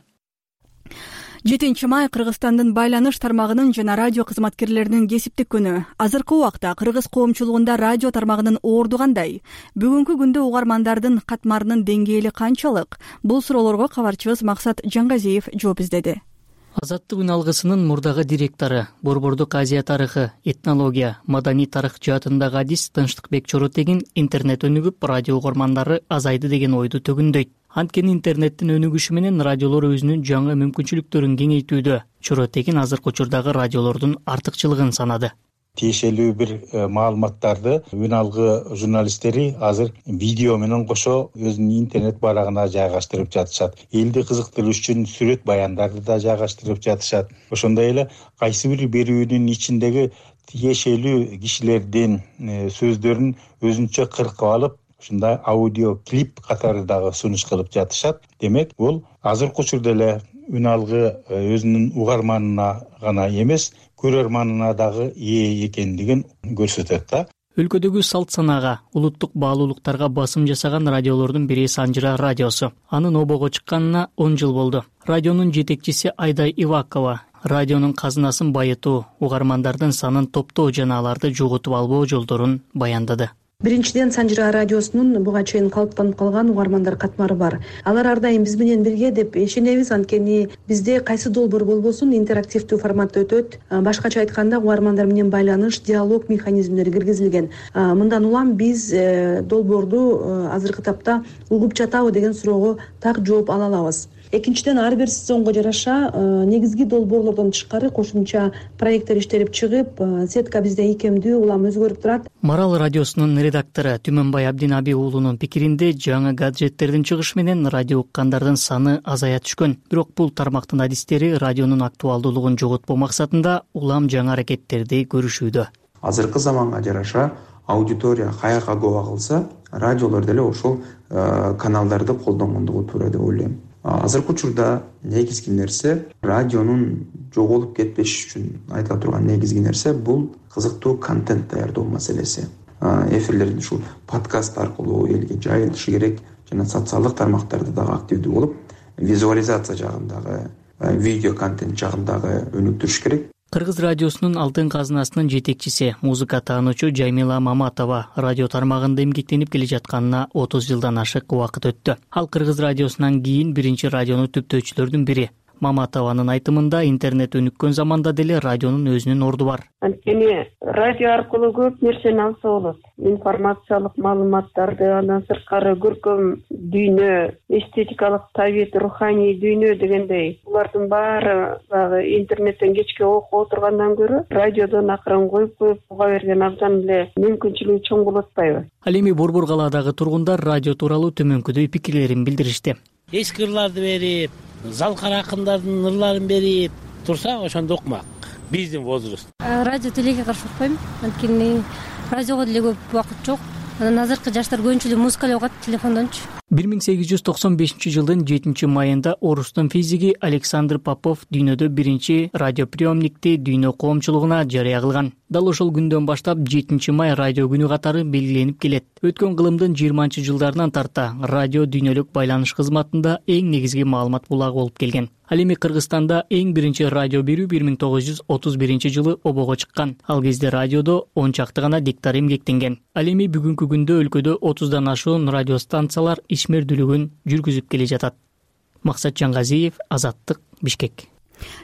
жетинчи май Кыргызстандын байланыш тармагынын жана радио кызматкерлеринин кесиптик күнү. Азыркы убакта кыргыз коомчулугунда радио тармагынын орду кандай? Бүгүнкү күндө угармандардын катмарынын деңгээли канчалык? Бул суроолорго кабарчыбыз Максат Жангазиев жооп издеди. Азаттык үн алгысынын мурдагы директору, Борбордук Азия тарыхы, этнология, маданий тарых жаатындагы адис Тынчтыкбек Чоротегин интернет өнүгүп, радио угармандары азайды деген ойду төгүндөйт. Анткени интернеттин өнүгүшү менен радиолор өзүнүн жаңы мүмкүнчүлүктөрүн кеңейтүүдө. Чоротегин азыркы учурдагы радиолордун артыкчылыгын санады. Тиешелүү бир маалыматтарды үн алгы журналисттери азыр видео менен кошо өзүнүн интернет барагына жайгаштырып жатышат. Элди кызыктыруу үчүн сүрөт баяндарды да жайгаштырып жатышат. Ошондой эле кайсы бир берүүнүн ичиндеги тиешелүү кишилердин сөздөрүн өзүнчө кыркып алып, ушундай аудио клип катары дагы сунуш кылып жатышат. Демек, бул азыркы учурда эле үн алгы өзүнүн угарманына гана эмес, көрөрманына дагы ээ экендигин көрсөтөт да. Өлкөдөгү салт санаага, улуттук баалуулуктарга басым жасаган радиолордун бири Санжыра радиосу. Анын обого чыкканына он жыл болду. Радионун жетекчиси Айдай Ивакова радионун казынасын байытуу, угармандардын санын топтоо жана аларды жоготуп албоо жолдорун баяндады. Биринчиден, Санжыра радиосунун буга чейин калыптанып калган угармандар катмары бар. Алар ар дайым биз менен бирге деп ишенебиз, анткени бизде кайсы долбоор болбосун интерактивдүү форматта өтөт. Башкача айтканда, угармандар менен байланыш, диалог механизмдери киргизилген. Мындан улам биз долбоорду азыркы тапта угуп жатабы деген суроого так жооп ала алабыз. Экинчиден, ар бир сезонго жараша негизги долбоорлордон тышкары кошумча проекттер иштелип чыгып, сетка бизде ийкемдүү улам өзгөрүп турат. Марал радиосунун редактору Түмөнбай Абдинаби уулунун пикиринде, жаңы гаджеттердин чыгышы менен радио уккандардын саны азая түшкөн. Бирок бул тармактын адистери радионун актуалдуулугун жоготпоо максатында улам жаңы аракеттерди көрүшүүдө. Азыркы заманга жараша аудитория каяка гоба кылса, радиолор деле ошол каналдарды колдонгондугу туура деп ойлойм. Азыркы учурда негизги нерсе, радионун жоголуп кетпеш үчүн айтыла турган негизги нерсе бул кызыктуу контент даярдоо маселеси. Эфирлердин ушул подкаст аркылуу элге жайылышы керек жана социалдык тармактарда дагы активдүү болуп, визуализация жагындагы, видео контент жагындагы өнүктүрүш керек. Кыргыз радиосунун алтын казынасынын жетекчиси, музыка таануучу Жаймила Маматова радио тармагында эмгектенип келе жатканына отуз жылдан ашык убакыт өттү. Ал Кыргыз радиосунан кийин биринчи радиону түптөөчүлөрдүн бири. Маматованын айтымында, интернет өнүккөн заманда деле радионун өзүнүн орду бар. Анткени радио аркылуу көп нерсени алса болот. Информациялык маалыматтарды, андан сырткары көркөм дүйнө, эстетикалык табит, руханий дүйнө дегендей. Булардын баары дагы интернеттен кечке окуп отургандан көрө, радиодон акырын коюп коюп уга берген абдан эле мүмкүнчүлүгү чоң болуп атпайбы? Ал эми Борбор калаадагы тургундар радио тууралуу төмөнкүдөй пикирлерин билдиришти. Эски ырларды берип, залкар акындардын ырларын берип турса, ошондо укмак. Биздин возраст. Радио телеге каршы укпайм, анткени радиого деле көп убакыт жок. Анан азыркы жаштар көбүнчө музыка эле угат телефондончу. бир миң сегиз жүз токсон бешинчи жылдын жетинчи майында орустун физиги Александр Попов дүйнөдө биринчи радиоприемникти дүйнө коомчулугуна жарыя кылган. Дал ошол күндөн баштап жетинчи май радио күнү катары белгиленип келет. Өткөн кылымдын жыйырманчы жылдарынан тарта радио дүйнөлүк байланыш кызматында эң негизги маалымат булагы болуп келген. Ал эми Кыргызстанда эң биринчи радио берүү бир миң тогуз жүз отуз биринчи жылы обого чыккан. Ал кезде радиодо он чакты гана диктор эмгектенген. Ал эми бүгүнкү күндө өлкөдө отуздан ашуун радиостанциялар ишмердүүлүгүн жүргүзүп келе жатат. Максат Жангазиев, Азаттык, Бишкек.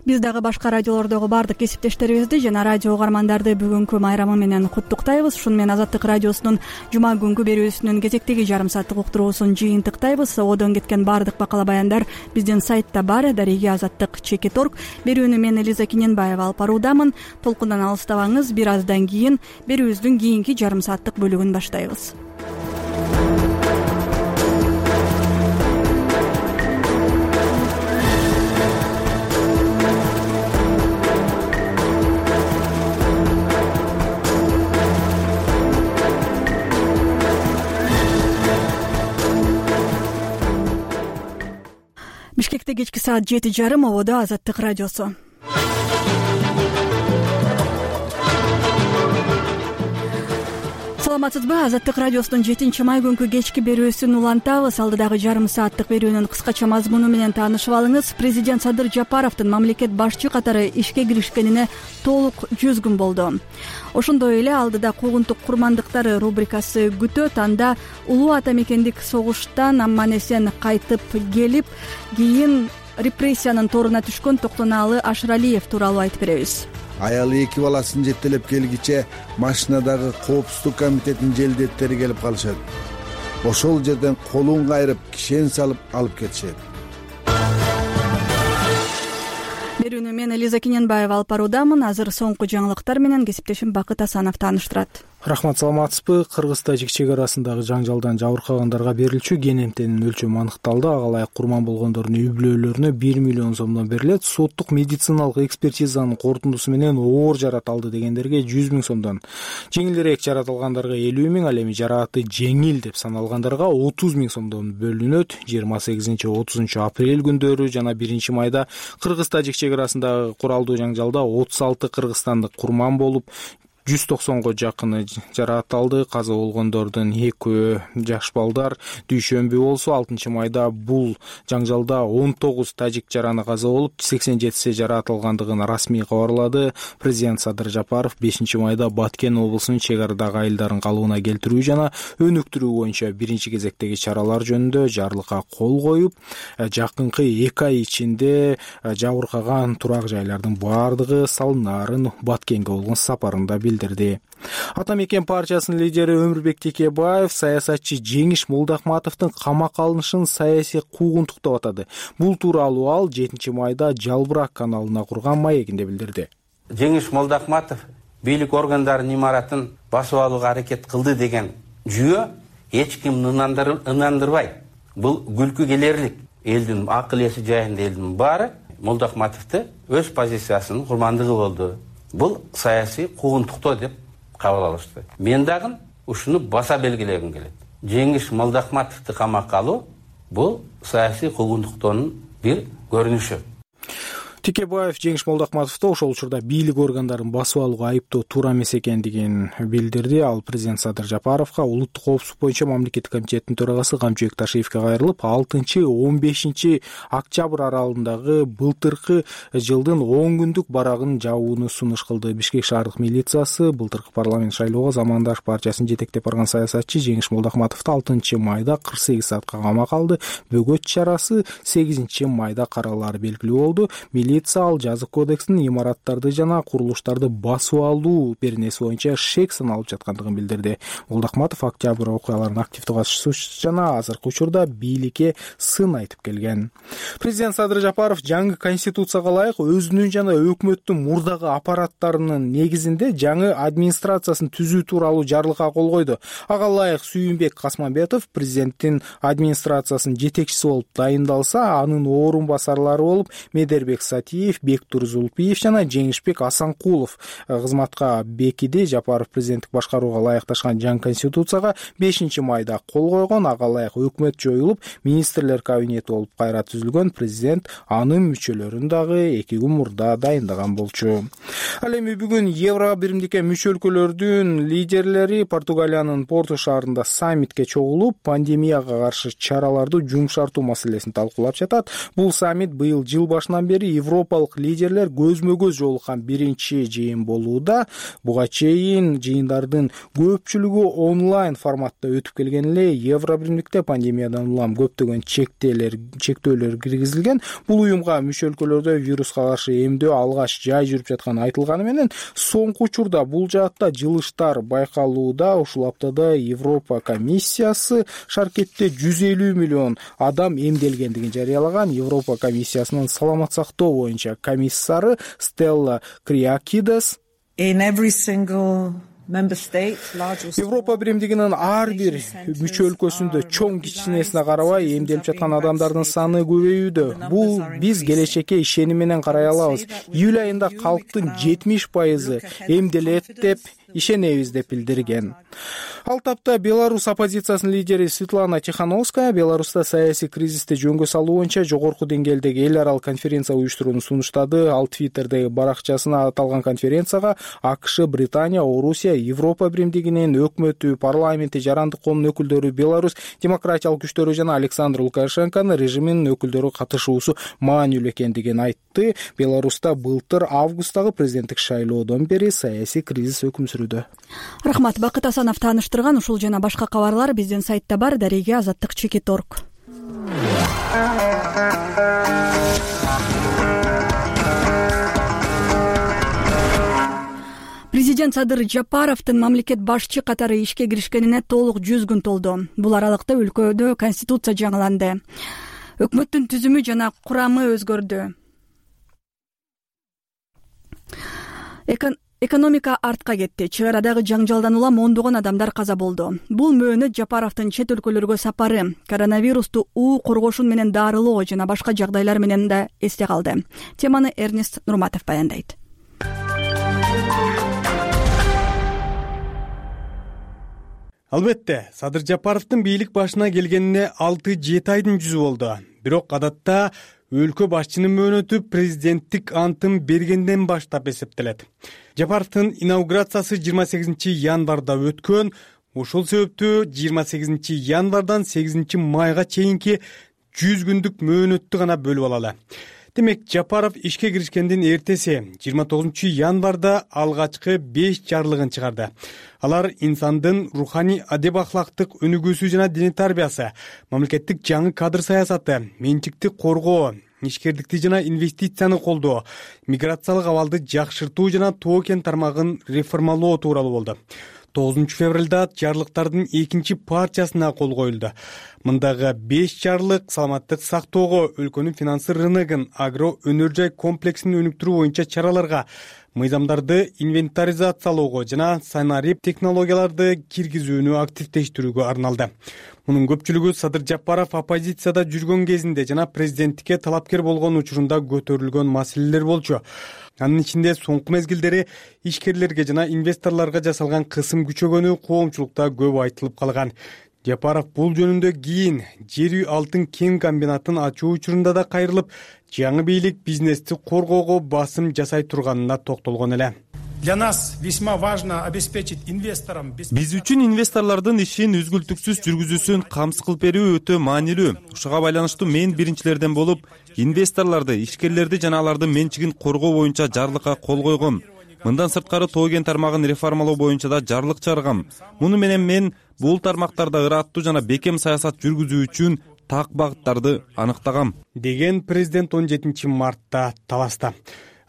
Биз дагы башка радиолордогу баардык кесиптештерибизди жана радио угармандарды бүгүнкү майрамы менен куттуктайбыз. Ушуну менен Азаттык радиосунун жума күнгү берүүсүнүн кезектеги жарым сааттык уктуруусун жыйынтыктайбыз. Одон кеткен баардык бакала баяндар биздин сайтта бар. Дареги азаттык чекит орг. Берүүнү мен Элиза Киненбаева алып баруудамын. Толкундан алыстабаңыз. Бир аздан кийин берүүбүздүн кийинки жарым сааттык бөлүгүн баштайбыз. Бишкекте кечки саат жети жарым, ободо Азаттык радиосу. Саламатсызбы? Азаттык радиосунун жетинчи май күнкү кечки берүүсүн улантабыз. Алдыдагы жарым сааттык берүүнүн кыскача мазмуну менен таанышып алыңыз. Президент Садыр Жапаровдун мамлекет башчы катары ишке киришкенине толук жүз күн болду. Ошондой эле алдыда куугунтук курмандыктары рубрикасы күтөт. Анда улуу ата мекендик согуштан аман эсен кайтып келип, кийин репрессиянын торуна түшкөн Токтонаалы Ашыралиев тууралуу айтып беребиз. Аялы эки баласын жетелеп келгиче машинадагы коопсуздук комитетинин желдеттери келип калышат. Ошол жерден колун кайрып, кишен салып алып кетишет. Берүүнү мен Элиза Киненбаева алып баруудамын. Азыр соңку жаңылыктар менен кесиптешим Бакыт Асанов тааныштырат. Рахмат, саламатсызбы? Кыргыз-тажик чек арасындагы жаңжалдан жабыркагандарга берилчү кенемтенин өлчөмү аныкталды. Ага ылайык курман болгондордун үй бүлөлөрүнө бир миллион сомдон берилет. Соттук медициналык экспертизанын корутундусу менен оор жарат алды дегендерге жүз миң сомдон, жеңилирээк жарат алгандарга элүү миң, ал эми жарааты жеңил деп саналгандарга отуз миң сомдон бөлүнөт. жыйырма сегизинчи отузунчу апрель күндөрү жана биринчи майда Кыргыз-тажик чек арасындагы куралдуу жаңжалда отуз алты кыргызстандык курман болуп, жүз токсонго жакыны жараат алды. Каза болгондордун экөө жаш балдар. Дүйшөмбү болсо алтынчы майда бул жаңжалда он тогуз тажик жараны каза болуп, сексен жетиси жараат алгандыгын расмий кабарлады. Президент Садыр Жапаров бешинчи майда Баткен облусунун чек арадагы айылдарын калыбына келтирүү жана өнүктүрүү боюнча биринчи кезектеги чаралар жөнүндө жарлыкка кол коюп, жакынкы эки ай ичинде жабыркаган турак жайлардын баардыгы салынаарын Баткенге болгон сапарында билдирди. Ата мекен партиясынын лидери Өмүрбек Текебаев саясатчы Жеңиш Молдахматовдун камакка алынышын саясий куугунтук деп атады. Бул тууралуу ал жетинчи майда Жалбырак каналына курган маегинде билдирди. Жеңиш Молдахматов бийлик органдарынын имаратын басып алууга аракет кылды деген жүйө эч кимди ынандырбайт. Бул күлкү келерлик. Элдин акыл эси жайында элдин баары Молдахматовду өз позициясынын курмандыгы болду. Бул саясий куугунтуктоо деп кабыл алышты. Мен дагы ушуну баса белгилегим келет. Жеңиш Молдахматовду камакка алуу бул саясий куугунтуктоонун бир көрүнүшү. Текебаев Жеңиш Молдахматовду ошол учурда бийлик органдарын басып алууга айыптоо туура эмес экендигин билдирди. Ал президент Садыр Жапаровго улуттук коопсуздук боюнча мамлекеттик комитеттин төрагасы Камчыбек Ташиевке кайрылып, алтынчы он бешинчи октябрь аралыгындагы былтыркы жылдын он күндүк барагын жабууну сунуш кылды. Бишкек шаардык милициясы былтыркы парламент шайлоого Замандаш партиясын жетектеп барган саясатчы Жеңиш Молдахматовду алтынчы майда кырк сегиз саатка камакка алды. Бөгөт чарасы сегизинчи майда каралары белгилүү болду. Ал жазык кодекстин имараттарды жана курулуштарды басып алуу беренеси боюнча шек саналып жаткандыгын билдирди. Молдахматов октябрь окуяларынын активдүү катышуучусу жана азыркы учурда бийликке сын айтып келген. Президент Садыр Жапаров жаңы конституцияга ылайык өзүнүн жана өкмөттүн мурдагы аппараттарынын негизинде жаңы администрациясын түзүү тууралуу жарлыкка кол койду. Ага ылайык Сүйүнбек Касманбетов президенттин администрациясынын жетекчиси болуп дайындалса, анын орун басарлары болуп Медербек Ипатиев, Бектур Зулпиев жана Жеңишбек Асанкулов кызматка бекиди. Жапаров президенттик башкарууга ылайыкташкан жаңы конституцияга бешинчи майда кол койгон. Ага ылайык өкмөт жоюлуп, министрлер кабинети болуп кайра түзүлгөн. Президент анын мүчөлөрүн дагы эки күн мурда дайындаган болчу. Ал эми бүгүн Евро биримдикке мүчө өлкөлөрдүн лидерлери Португалиянын Порту шаарында саммитке чогулуп, пандемияга каршы чараларды жумшартуу маселесин талкуулап жатат. Бул саммит быйыл жыл башынан бери европалык лидерлер көзмө-көз жолуккан биринчи жыйын болууда. Буга чейин жыйындардын көпчүлүгү онлайн форматта өтүп келген эле. Евро биримдикте пандемиядан улам көптөгөн чектелер чектөөлөр киргизилген. Бул уюмга мүчө өлкөлөрдө вируска каршы эмдөө алгач жай жүрүп жатканы айтылганы менен, соңку учурда бул жаатта жылыштар байкалууда. Ушул аптада Европа комиссиясы шаркетте жүз элүү миллион адам эмделгендигин жарыялаган. Европа комиссиясынын саламат сактоо боюнча комиссары Стелла Криакидес Европа биримдигинин ар бир мүчө өлкөсүндө чоң кичинесине карабай эмделип жаткан адамдардын саны көбөйүүдө. Бул биз келечекке ишеним менен карай алабыз. Июль айында калктын жетимиш пайызы эмделет деп ишенебиз деп билдирген. Ал тапта Беларусь оппозициясынын лидери Светлана Тихановская Беларуста саясий кризисти жөнгө салуу боюнча жогорку деңгээлдеги эл аралык конференция уюштурууну сунуштады. Ал Твиттердеги баракчасына аталган конференцияга АКШ, Британия, Орусия, Европа биримдигинин өкмөтү, парламенти, жарандык коомдун өкүлдөрү, Беларусь демократиялык күчтөрү жана Александр Лукашенконун режиминин өкүлдөрү катышуусу маанилүү экендигин айтты. Беларуста былтыр августтагы президенттик шайлоодон бери саясий кризис өкүм сүрүүдө. Рахмат. Бакыт Асанов тааныштырган. Ушул жана башка кабарлар биздин сайтта бар. Дареге азаттык чекит орг. Президент Садыр Жапаровдун мамлекет башчы катары ишке киришкенине толук жүз күн толду. Бул аралыкта өлкөдө конституция жаңыланды. Өкмөттүн түзүмү жана курамы өзгөрдү. Экономика артка кетти. Чыгар арадагы жаңжалдан улам ондогон адамдар каза болду. Бул мөөнөт Жапаровдун чет өлкөлөргө сапары, коронавирусту уу коргошун менен дарылоо жана башка жагдайлар менен да эсте калды. Теманы Эрнест Нурматов баяндайт. Албетте, Садыр Жапаровдун бийлик башына келгенине алты жети айдын жүзү болду. Бирок адатта өлкө башчынын мөөнөтү президенттик антын бергенден баштап эсептелет. Жапаровдун инаугурациясы жыйырма сегизинчи январда өткөн. Ошол себептүү жыйырма сегизинчи январдан сегизинчи майга чейинки жүз күндүк мөөнөттү гана бөлүп алалы. Демек, Жапаров ишке киришкендин эртеси жыйырма тогузунчу январда алгачкы беш жарлыгын чыгарды. Алар инсандын руханий адеп ахлактык өнүгүүсү жана диний тарбиясы, мамлекеттик жаңы кадр саясаты, менчикти коргоо, ишкерликти жана инвестицияны колдоо, миграциялык абалды жакшыртуу жана тоо кен тармагын реформалоо тууралуу болду. тогузунчу февралда жарлыктардын экинчи партиясына кол коюлду. Мындагы беш жарлык саламаттык сактоого, өлкөнүн финансы рыногун, агро өнөр жай комплексин өнүктүрүү боюнча чараларга, мыйзамдарды инвентаризациялоого жана санарип технологияларды киргизүүнү активдештирүүгө арналды. Мунун көпчүлүгү Садыр Жапаров оппозицияда жүргөн кезинде жана президенттикке талапкер болгон учурунда көтөрүлгөн маселелер болчу. Анын ичинде соңку мезгилдери ишкерлерге жана инвесторлорго жасалган кысым күчөгөнү коомчулукта көп айтылып калган. Жапаров бул жөнүндө кийин жер үй алтын кен комбинатын ачуу учурунда да кайрылып, жаңы бийлик бизнести коргоого басым жасай турганына токтолгон эле. Для нас весьма важно обеспечить инвесторам. Биз үчүн инвесторлордун ишин үзгүлтүксүз жүргүзүүсүн камсыз кылып берүү өтө маанилүү. Ушуга байланыштуу мен биринчилерден болуп, инвесторлорду, ишкерлерди жана алардын менчигин коргоо боюнча жарлыкка кол койгом. Мындан сырткары тоо кен тармагын реформалоо боюнча да жарлык чыгаргам. Муну менен мен бул тармактарда ыраттуу жана бекем саясат жүргүзүү үчүн так багыттарды аныктагам, деген президент он жетинчи мартта таласта.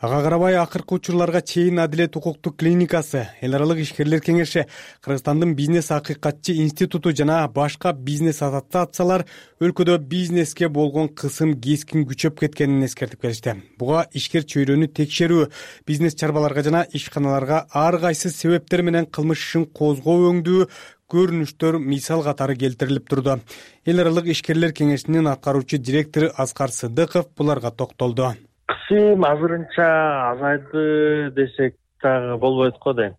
Ага карабай акыркы учурларга чейин Адилет укуктук клиникасы, эл аралык ишкерлер кеңеши, Кыргызстандын бизнес акыйкатчы институту жана башка бизнес ассоциациялар өлкөдө бизнеске болгон кысым кескин күчөп кеткенин эскертип келишти. Буга ишкер чөйрөнү текшерүү, бизнес чарбаларга жана ишканаларга ар кайсы себептер менен кылмыш ишин козгоо өңдүү көрүнүштөр мисал катары келтирилип турду. Эл аралык ишкерлер кеңешинин аткаруучу директору Аскар Сыдыков буларга токтолду. Кесим азырынча азайды десек дагы болбойт го дейм.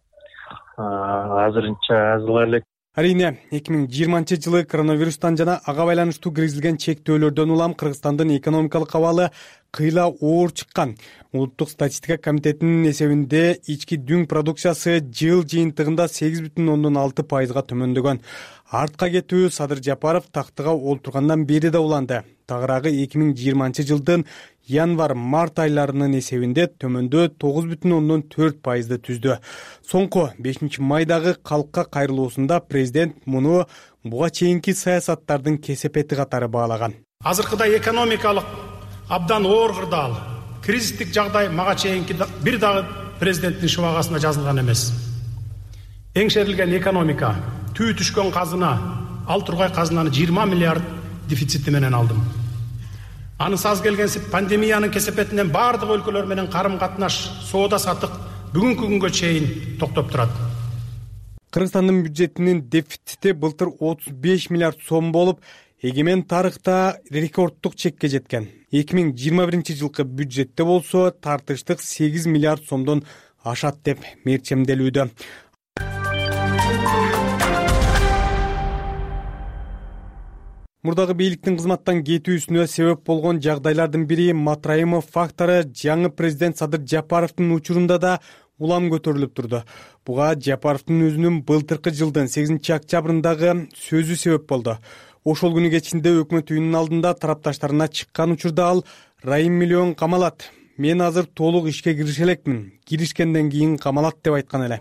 Азырынча азыла элек. Арийне эки миң жыйырманчы жылы коронавирустан жана ага байланыштуу киргизилген чектөөлөрдөн улам Кыргызстандын экономикалык абалы кыйла оор чыккан. Улуттук статистика комитетинин эсебинде ички дүң продукциясы жыл жыйынтыгында сегиз бүтүн ондон алты пайызга төмөндөгөн. Артка кетүү Садыр Жапаров тактыга олтургандан бери да уланды. Тагыраагы эки миң жыйырманчы жылдын январь-март айларынын эсебинде төмөндөө тогуз бүтүн ондон төрт пайызды түздү. Соңку бешинчи майдагы калкка кайрылуусунда президент муну буга чейинки саясаттардын кесепети катары баалаган. Азыркыда экономикалык абдан оор кырдаал, кризистик жагдай мага чейинки бир дагы президенттин шыбагасына жазылган эмес. Эңшерилген экономика, түү түшкөн казына, ал тургай казынаны жыйырма миллиард дефицити менен алдым. Аны саз келгенсип пандемиянын кесепетинен бардык өлкөлөр менен карым-катнаш, соода сатык бүгүнкү күнгө чейин токтоп турат. Кыргызстандын бюджетинин дефицити былтыр отуз беш миллиард сом болуп, эгемен тарыхта рекордтук чекке жеткен. эки миң жыйырма биринчи жылкы бюджетте болсо тартыштык сегиз миллиард сомдон ашат деп мерчемделүүдө. Мурдагы бийликтин кызматтан кетүүсүнө себеп болгон жагдайлардын бири Матраимов фактору жаңы президент Садыр Жапаровдун учурунда да улам көтөрүлүп турду. Буга Жапаровдун өзүнүн былтыркы жылдын сегизинчи октябрындагы сөзү себеп болду. Ошол күнү кечинде өкмөт үйүнүнүн алдында тарапташтарына чыккан учурда ал Райым миллион камалат. Мен азыр толук ишке кирише элекмин. Киришкенден кийин камалат деп айткан эле.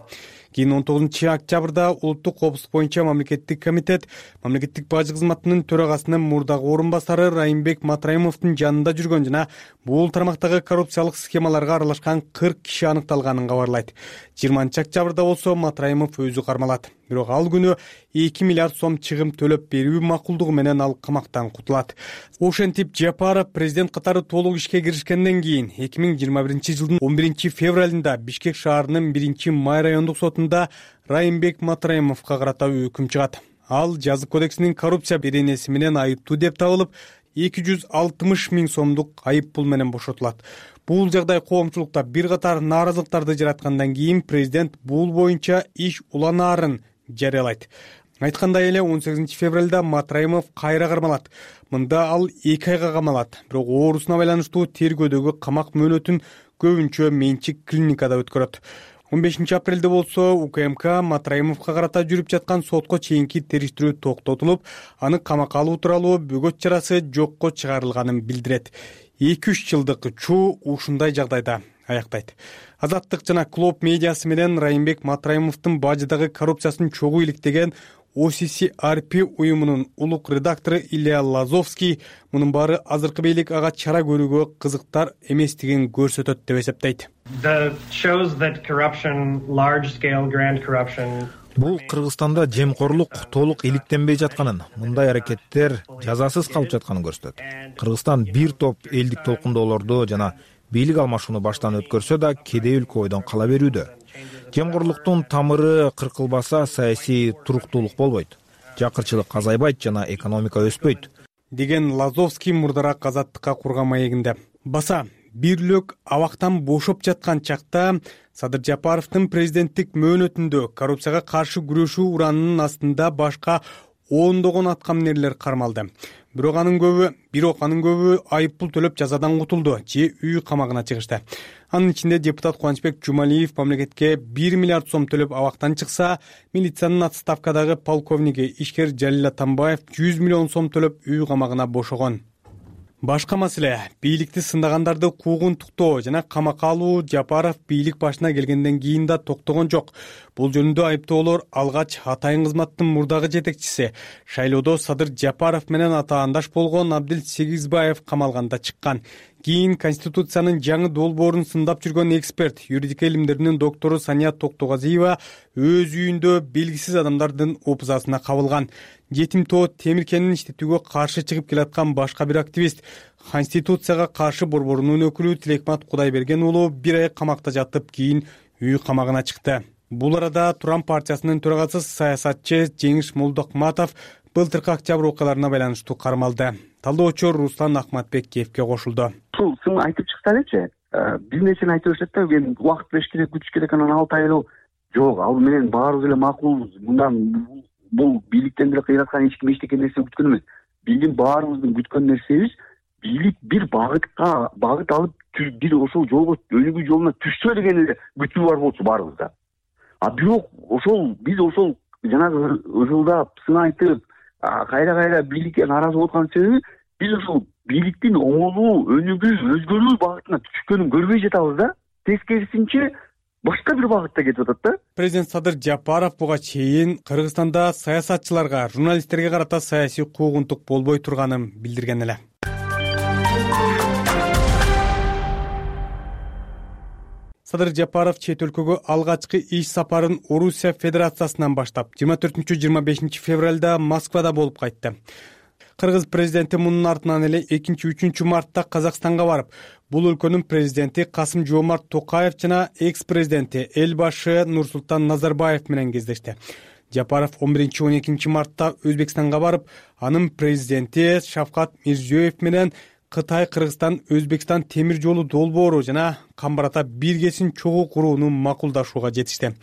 Кийин он тогузунчу октябрда улуттук коопсуздук боюнча мамлекеттик комитет мамлекеттик бажы кызматынын төрагасынын мурдагы орун басары Райымбек Матраимовдун жанында жүргөн жана бул тармактагы коррупциялык схемаларга аралашкан кырк киши аныкталганын кабарлайт. жыйырманчы октябрда болсо Матраимов өзү кармалат. Бирок ал күнү эки миллиард сом чыгым төлөп берүү макулдугу менен ал камактан кутулат. Ошентип Жапаров президент катары толук ишке киришкенден кийин эки миң жыйырма биринчи жылдын он биринчи февралында Бишкек шаарынын биринчи май райондук сотунда Райымбек Матраимовго карата өкүм чыгат. Ал жаза кодексинин коррупция беренеси менен айыптуу деп табылып, эки жүз алтымыш миң сомдук айып пул менен бошотулат. Бул жагдай коомчулукта бир катар нааразылыктарды жараткандан кийин президент бул боюнча иш уланаарын жарыялайт. Айткандай эле он сегизинчи февралда Матраимов кайра кармалат. Мында ал эки айга камалат. Бирок оорусуна байланыштуу тергөөдөгү камак мөөнөтүн көбүнчө менчик клиникада өткөрөт. он бешинчи апрелде болсо УКМК Матраимовго карата жүрүп жаткан сотко чейинки териштирүү токтотулуп, аны камакка алуу тууралуу бөгөт чарасы жокко чыгарылганын билдирет. эки үч жылдык учуу ушундай жагдайда аяктайт. Азаттык жана Клоп медиасы менен Райымбек Матраимовдун бажыдагы коррупциясын чогуу иликтеген о си си ар пи уюмунун улук редактору Илья Лазовский мунун баары азыркы бийлик ага чара көрүүгө кызыктар эместигин көрсөтөт деп эсептейт. Бул Кыргызстанда жемкорлук толук иликтенбей жатканын, мындай аракеттер жазасыз калып жатканын көрсөтөт. Кыргызстан бир топ элдик толкундоолорду жана бийлик алмашууну баштан өткөрсө да кедей өлкө бойдон кала берүүдө. Жемкорлуктун тамыры кыркылбаса саясий туруктуулук болбойт, жакырчылык азайбайт жана экономика өспөйт, деген Лазовский мурдараак Азаттыкка курган маегинде. Баса бирлик абактан бошоп жаткан чакта Садыр Жапаровдун президенттик мөөнөтүндө коррупцияга каршы күрөшүү уранынын астында башка ондогон аткаминерлер кармалды. Бирок анын көбү, бирок анын көбү айып пул төлөп жазадан кутулду же үй камагына чыгышты. Анын ичинде депутат Кубанычбек Жумалиев мамлекетке бир миллиард сом төлөп абактан чыкса, милициянын отставкадагы полковниги ишкер Жалил Атамбаев жүз миллион сом төлөп үй камагына бошогон. Башка маселе бийликти сындагандарды куугунтуктоо жана камакка алуу Жапаров бийлик башына келгенден кийин да токтогон жок. Бул жөнүндө айыптоолор алгач Атайын кызматтын мурдагы жетекчиси шайлоодо Садыр Жапаров менен атаандаш болгон Абдил Сегизбаев камалганда чыккан. Кийин Конституциянын жаңы долбоорун сындап жүргөн эксперт, юридика илимдеринин доктору Сания Токтогазиева өз үйүндө белгисиз адамдардын опузасына кабылган. Жетим тоо Темиркенин иштетүүгө каршы чыгып келаткан башка бир активист, Конституцияга каршы борборунун өкүлү Тилекмат Кудайберген уулу бир ай камакта жатып, кийин үй камагына чыкты. Бул арада Туран партиясынын төрагасы саясатчы Жеңиш Молдокматов былтыркы октябрь окуяларына байланыштуу кармалды. Талдоочу Руслан Ахматбек кепке кошулду. Ушул сын айтып чыкса элечи, бир нерсени айтып беришет да, эми убакыт бериш керек, күтүш керек, анан алты ай эле жок, ал менен баарыбыз эле макулбуз. Мындан бул бийликтен деле кыйраткан эч ким эчтеке нерсе күткөн эмес. Биздин баарыбыздын күткөн нерсебиз бийлик бир багытка багыт алып бир ошол жолго өнүгүү жолуна түшсө деген эле күтүү бар болчу баарыбызда. А бирок ошол биз ошол жанагы ызылдап, сынайтып, кайра кайра бийликке нааразы болуп аткан себеби биз ошол бийликтин оңолуу, өнүгүү, өзгөрүү багытына түшкөнүн көрбөй жатабыз да. Тескерисинче башка бир багытта кетип атат да. Президент Садыр Жапаров буга чейин Кыргызстанда саясатчыларга, журналисттерге карата саясий куугунтук болбой турганын билдирген эле. Садыр Жапаров чет өлкөгө алгачкы иш сапарын Орусия Федерациясынан баштап, жыйырма төртүнчү жыйырма бешинчи февралда Москвада болуп кайтты. Кыргыз президенти мунун артынан эле экинчи үчүнчү мартта Казакстанга барып, бул өлкөнүн президенти Касым-Жомарт Токаев жана экс-президенти Элбашы Нурсултан Назарбаев менен кездешти. Жапаров он биринчи он экинчи мартта Өзбекстанга барып, анын президенти Шавкат Мирзиёев менен Кытай, Кыргызстан, Өзбекстан темир жолу долбоору жана Камбар-Ата биргесин чогуу курууну макулдашууга жетишти.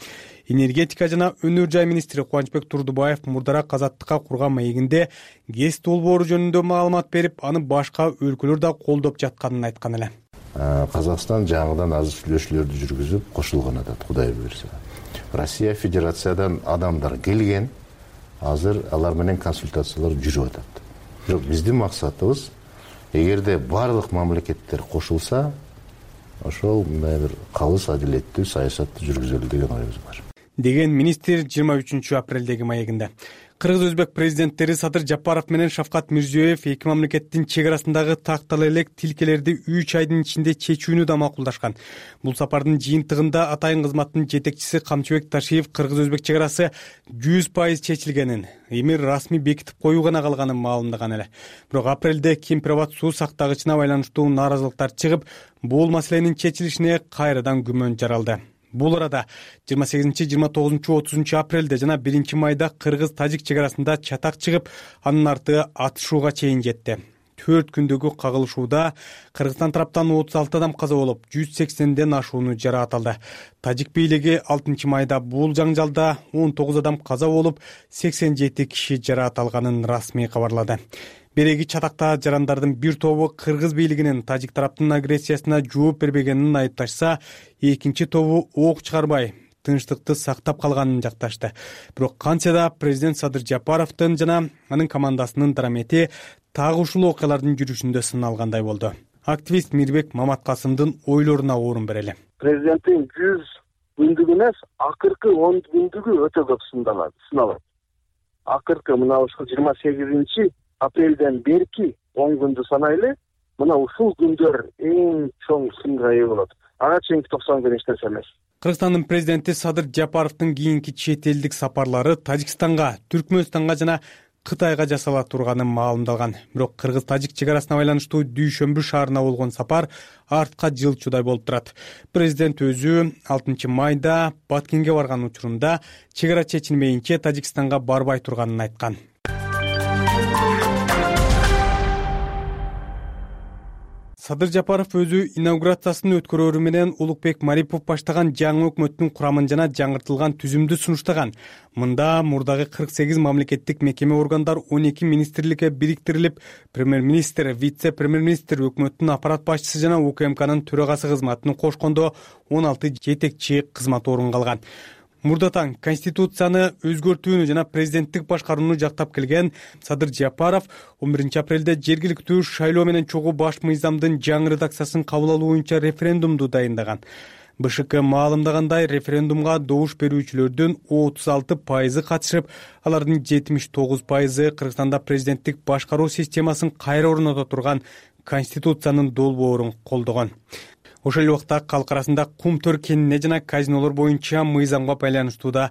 Энергетика жана өнөр жай министри Кубанычбек Турдубаев мурдараак Азаттыкка курган маегинде ГЭС долбоору жөнүндө маалымат берип, аны башка өлкөлөр да колдоп жатканын айткан эле. Казакстан жаңыдан азыр сүйлөшүүлөрдү жүргүзүп кошулган атат, Кудай буйрса. Россия Федерациядан адамдар келген, азыр алар менен консультациялар жүрүп атат. Бирок биздин максатыбыз, эгерде барлык мамлекеттер кошулса, ошол мындай бир калыс адилеттүү саясатты жүргүзөлү деген оюбуз бар. Деген министр жыйырма үчүнчү апрелдеги маегинде. Кыргыз-Өзбек президенттери Садыр Жапаров менен Шавкат Мирзиёев эки мамлекеттин чек арасындагы тактала элек тилкелерди үч айдын ичинде чечүүнү да макулдашкан. Бул сапардын жыйынтыгында атайын кызматтын жетекчиси Камчыбек Ташиев Кыргыз-Өзбек чек арасы жүз пайыз чечилгенин, эми расмий бекитип коюу гана калганын маалымдаган эле. Бирок апрелде Кемпирабад суу сактагычына байланыштуу нааразылыктар чыгып, бул маселенин чечилишине кайрадан күмөн жаралды. Бул арада жыйырма сегизинчи, жыйырма тогузунчу, отузунчу апрелде жана биринчи майда Кыргыз-Тажик чек арасында чатак чыгып, анын арты атышууга чейин жетти. төрт күндөгү кагылышууда Кыргызстан тараптан отуз алты адам каза болуп, жүз сексенден ашууну жараат алды. Тажик бийлиги алтынчы майда бул жаңжалда он тогуз адам каза болуп, сексен жети киши жараат алганын расмий кабарлады. Береги чатакта жарандардын бир тобу Кыргыз бийлигинин Тажик тараптын агрессиясына жооп бербегенин айыпташса, экинчи тобу ок чыгарбай, тынчтыкты сактап калганын жакташты. Бирок кантсе да президент Садыр Жапаровдун жана анын командасынын дарамети так ушул окуялардын жүрүшүндө сыналгандай болду. Активист Мирбек Маматкасымдын ойлоруна орун берели. Президенттин жүз күндүгү эмес, акыркы он күндүгү өтө көп сыналат. Акыркы мына ушул жыйырма сегизинчи апрелден берки он күндү санайлы, мына ушул күндөр эң чоң сынга ээ болот. Ага чейинки токсон күн эч нерсе эмес. Кыргызстандын президенти Садыр Жапаровдун кийинки чет элдик сапарлары Тажикстанга, Түркмөнстанга жана Кытайга жасала турганын маалымдалган. Бирок Кыргыз-Тажик чек арасына байланыштуу Дүйшөмбү шаарына болгон сапар артка жылчудай болуп турат. Президент өзү алтынчы майда Баткенге барган учурунда чек ара чечилмейинче Тажикстанга барбай турганын айткан. Садыр Жапаров өзү инаугурациясын өткөрөрү менен Улукбек Марипов баштаган жаңы өкмөттүн курамын жана жаңыртылган түзүмдү сунуштаган. Мында мурдагы кырк сегиз мамлекеттик мекеме органдар он эки министрликке бириктирилип, премьер-министр, вице-премьер-министр, өкмөттүн аппарат башчысы жана УКМКнын төрагасы кызматын кошкондо он алты жетекчи кызмат орун алган. Мурдатан Конституцияны өзгөртүүнү жана президенттик башкарууну жактап келген Садыр Жапаров он биринчи апрелде жергиликтүү шайлоо менен чогуу баш мыйзамдын жаңы редакциясын кабыл алуу боюнча референдумду дайындаган. БШК маалымдагандай, референдумга добуш берүүчүлөрдүн отуз алты пайызы катышып, алардын жетимиш тогуз пайызы Кыргызстанда президенттик башкаруу системасын кайра орното турган Конституциянын долбоорун колдогон. Ошол эле убакта калк арасында Кумтөр кенине жана казинолор боюнча мыйзамга байланыштууда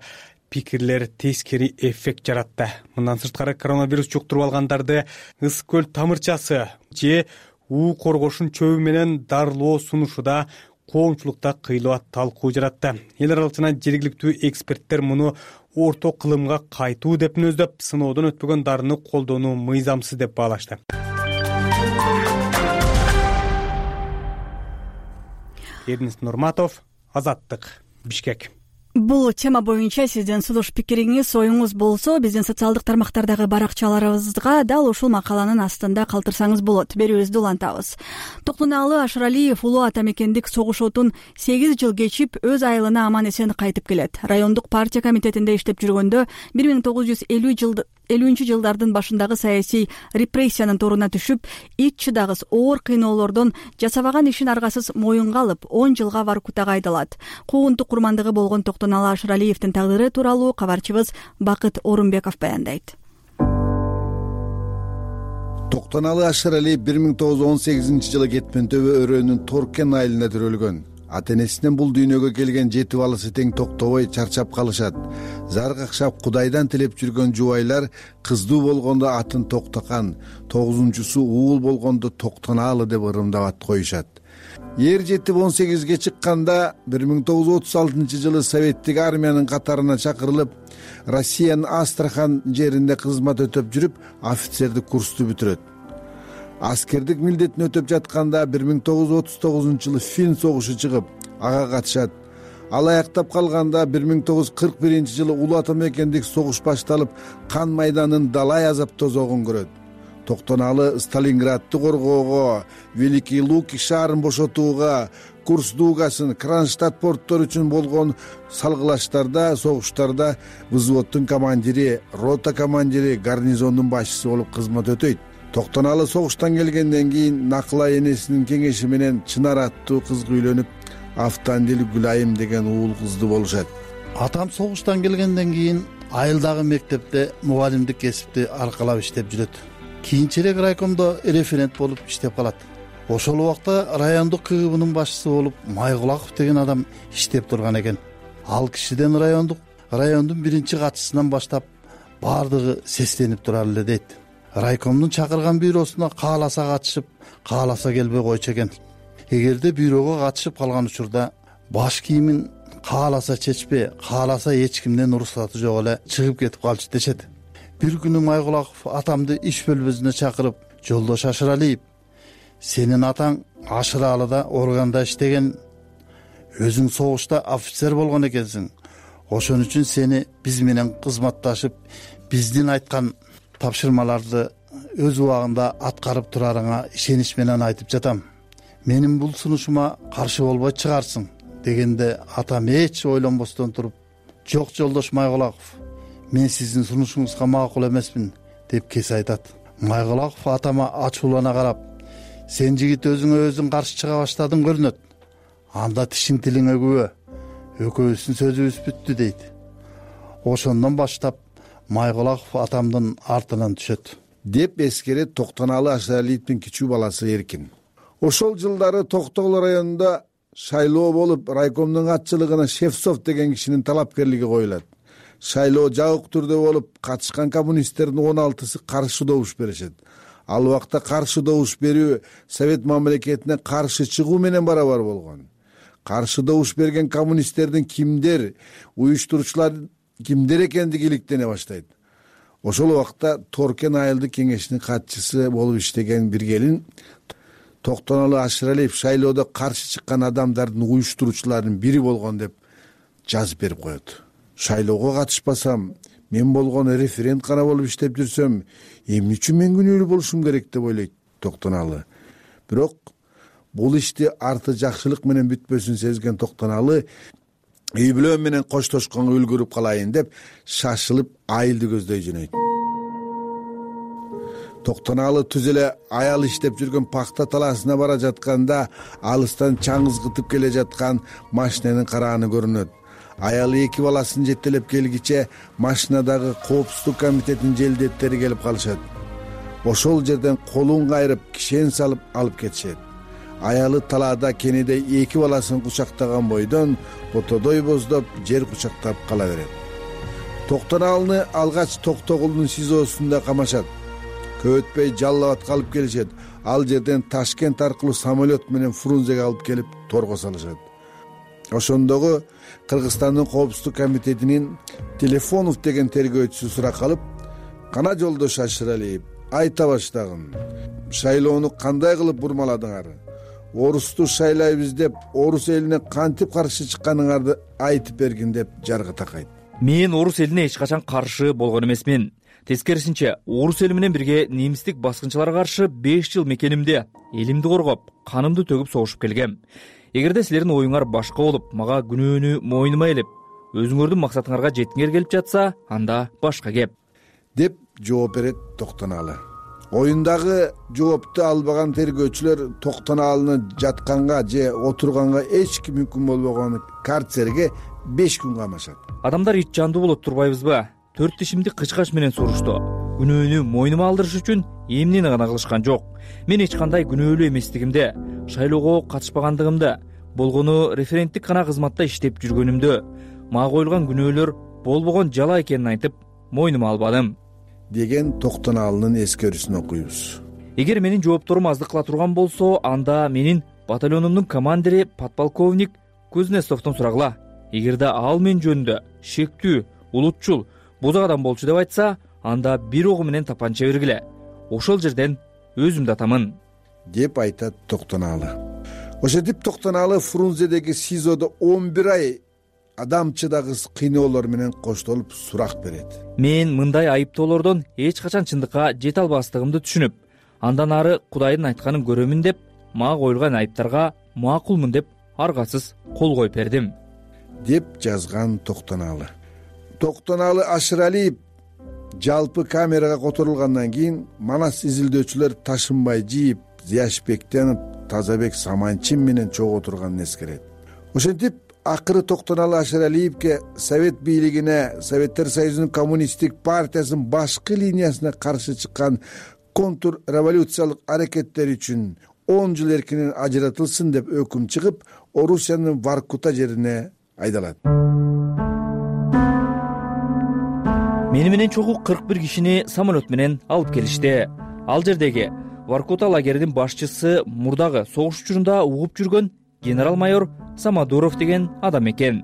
пикирлер тескери эффект жаратты. Мындан сырткары коронавирус жуктуруп алгандарды Ысык көл тамырчасы же уу коргошун чөбү менен дарылоо сунушуда коомчулукта кыйлык талкуу жаратты. Эл аралык жана жергиликтүү эксперттер муну орто кылымга кайтуу деп мүнөздөп, сыноодон өтпөгөн дарыны колдонуу мыйзамсыз деп баалашты. Эрнест Нурматов, Азаттык, Бишкек. Бул тема боюнча сиздин сунуш пикириңиз, оюңуз болсо биздин социалдык тармактардагы баракчаларыбызга дал ушул макаланын астында калтырсаңыз болот. Берүүбүздү улантабыз. Токтонаалы Ашыралиев улуу ата мекендик согуш отун сегиз жыл кечип өз айылына аман эсен кайтып келет. Райондук партия комитетинде иштеп жүргөндө бир миң тогуз жүз элүүнчү жылдардын башындагы саясий репрессиянын торуна түшүп, ич чыдагыс оор кыйноолордон жасабаган ишин аргасыз моюнга алып, он жылга Воркутага айдалат. Куугунтук курмандыгы болгон Токтонаалы Ашыралиевдин тагдыры тууралуу кабарчыбыз Бакыт Орунбеков баяндайт. Токтонаалы Ашыралиев бир миң тогуз жүз он сегизинчи жылы Кетмен төбө өрөөнүн Торкен айылында төрөлгөн. Ата-энесинен бул дүйнөгө келген жети баласы тең токтобой чарчап калышат. Зар какшап Кудайдан тилеп жүргөн жубайлар кыздуу болгондо атын Токтокан, тогузунчусу уул болгондо Токтонаалы деп ырымдап ат коюшат. Эр жетип он сегизге чыкканда бир миң тогуз жүз отуз алтынчы жылы советтик армиянын катарына чакырылып, Россиянын Астрахан жеринде кызмат өтөп жүрүп, офицердик курсту бүтүрөт. Аскердик милдетин өтөп жатканда бир миң тогуз жүз отуз тогузунчу жылы Фин согушу чыгып, ага катышат. Ал аяктап калганда бир миң тогуз жүз кырк биринчи жылы улуу ата мекендик согуш башталып, кан майданын далай азап тозогун көрөт. Токтонаалы Сталинградты коргоого, Великий Луки шаарын бошотууга, Курск дугасын, Кронштадт порттор үчүн болгон салгылаштарда, согуштарда взводдун командири, рота командири, гарнизондун башчысы болуп кызмат өтөйт. Токтонаалы согуштан келгенден кийин Накылай энесинин кеңеши менен Чынар аттуу кызга үйлөнүп, Автандил Гүлайым деген уул кызды болушат. Атам согуштан келгенден кийин айылдагы мектепте мугалимдик кесипти аркалап иштеп жүрөт. Кийинчерээк райкомдо референт болуп иштеп калат. Ошол убакта райондук КГБнын башчысы болуп Майгулаков деген адам иштеп турган экен. Ал кишиден райондук райондун биринчи катчысынан баштап баардыгы сестенип турар эле дейт. Райкомдун чакырган бюросуна кааласа катышып, кааласа келбей койчу экен. Эгерде бюрого катышып калган учурда баш кийимин кааласа чечпей, кааласа эч кимден уруксаты жок эле чыгып кетип калчу дешет. Бир күнү Майгулаков атамды иш бөлмөсүнө чакырып, жолдош Ашыралиев, сенин атаң Ашыралыда органда иштеген, өзүң согушта офицер болгон экенсиң. Ошон үчүн сени биз менен кызматташып, биздин айткан тапшырмаларды өз убагында аткарып турарыңа ишенич менен айтып жатам. Менин бул сунушума каршы болбой чыгарсың дегенде атам эч ойлонбостон туруп, жок жолдош Майгулаков, мен сиздин сунушуңузга макул эмесмин деп кес айтат. Майгулаков атама ачуулана карап, сен жигит өзүңө өзүң каршы чыга баштадың көрүнөт. Анда тишиң тилиңе күбө, экөөбүздүн сөзүбүз бүттү дейт. Ошондон баштап Майгулаков атамдын артынан түшөт деп эскерет Токтонаалы Ашыралиевдин кичүү баласы Эркин. Ошол жылдары Токтогул районунда шайлоо болуп, райкомдун катчылыгына Шевцов деген кишинин талапкерлиги коюлат. Шайлоо жабык түрдө болуп, катышкан коммунисттердин он алтысы каршы добуш беришет. Ал убакта каршы добуш берүү Совет мамлекетине каршы чыгуу менен барабар болгон. Каршы добуш берген коммунисттердин кимдер, уюштуруучулар кимдер экендиги иликтене баштайт. Ошол убакта Торкен айылдык кеңешинин катчысы болуп иштеген бир келин Токтонаалы Ашыралиев шайлоодо каршы чыккан адамдардын уюштуруучуларынын бири болгон деп жазып берип коет. Шайлоого катышпасам, мен болгон референт гана болуп иштеп жүрсөм, эмне үчүн мен күнөөлүү болушум керек деп ойлойт Токтонаалы. Бирок бул ишти арты жакшылык менен бүтпөсүн сезген Токтонаалы үй бүлө менен коштошконго үлгүрүп калайын деп шашылып айылды көздөй жөнөйт. Токтонаалы түз эле аял иштеп жүргөн пакта талаасына бара жатканда алыстан чаңызгытып келе жаткан машинанын карааны көрүнөт. Аялы эки баласын жетелеп келгиче машинадагы коопсуздук комитетинин желдеттери келип калышат. Ошол жерден колун кайрып, кишен салып алып кетишет. Аялы талаада кенеде эки баласын кучактаган бойдон ботодой боздоп, жер кучактап кала берет. Токтонаалыны алгач Токтогулдун СИЗОсунда камашат. Көп өтпөй Жалал Абадка алып келишет. Ал жерден Ташкент аркылуу самолет менен Фрунзеге алып келип торго салышат. Ошондогу Кыргызстандын коопсуздук комитетинин Телефонов деген тергөөчүсү сурак алып, кана жолдош Ашыралиев, айта баштагын. Шайлоону кандай кылып бурмаладыңар? орусту шайлайбыз деп орус элине кантип каршы чыкканыңарды айтып бергин деп жаргы такайт. Мен орус элине эч качан каршы болгон эмесмин. Тескерисинче, орус эли менен бирге немистик баскынчыларга каршы беш жыл мекенимде элимди коргоп, канымды төгүп согушуп келгем. Эгерде силердин оюңар башка болуп, мага күнөөнү мойнума илип, өзүңөрдүн максатыңарга жеткиңер келип жатса, анда башка кеп, деп жооп берет Токтонаалы. Оюндагы жоопту албаган тергөөчүлөр Токтонаалыны жатканга же отурганга эч ким мүмкүн болбогон карцерге беш күн камашат. Адамдар ит жандуу болот турбайбызбы? Төрт тишимди кычкач менен сурушту. Күнөөнү мойнума алдырыш үчүн эмнени гана кылышкан жок. Мен эч кандай күнөөлүү эместигимди, шайлоого катышпагандыгымды, болгону референттик гана кызматта иштеп жүргөнүмдү, мага коюлган күнөөлөр болбогон жала экенин айтып, мойнума албадым, деген Токтонаалынын эскерүүсүн окуйбуз. Эгер менин жоопторум аздык кыла турган болсо, анда менин батальонумдун командири подполковник Кузнецовдон сурагыла. Эгерде ал мен жөнүндө шектүү, улутчул, бузак адам болчу деп айтса, анда бир огу менен тапанча бергиле. Ошол жерден өзүмдү атамын, деп айтат Токтонаалы. Ошентип Токтонаалы Фрунзедеги СИЗОдо он бир ай адамчыдагыс кыйноолор менен коштолуп сурак берет. Мен мындай айыптоолордон эч качан чындыкка жете албастыгымды түшүнүп, андан ары Кудайдын айтканын көрөмүн деп, мага коюлган айыптарга макулмун деп аргасыз кол коюп бердим, деп жазган Токтонаалы. Токтонаалы Ашыралиев жалпы камерага которулгандан кийин манас изилдөөчүлөр Ташынбай Жийип, Зияш Бектенов, Тазабек Саманчин менен чогуу отурганын эскерет. Ошентип акыры Токтонаалы Ашыралиевке Совет бийлигине, Советтер Союзунун коммунисттик партиясынын башкы линиясына каршы чыккан контрреволюциялык аракеттер үчүн он жыл эркинен ажыратылсын деп өкүм чыгып, Орусиянын Воркута жерине айдалат. Мени менен чогуу кырк бир кишини самолет менен алып келишти. Ал жердеги Воркута лагеринин башчысы мурдагы согуш учурунда угуп жүргөн генерал-майор Самодуров деген адам экен.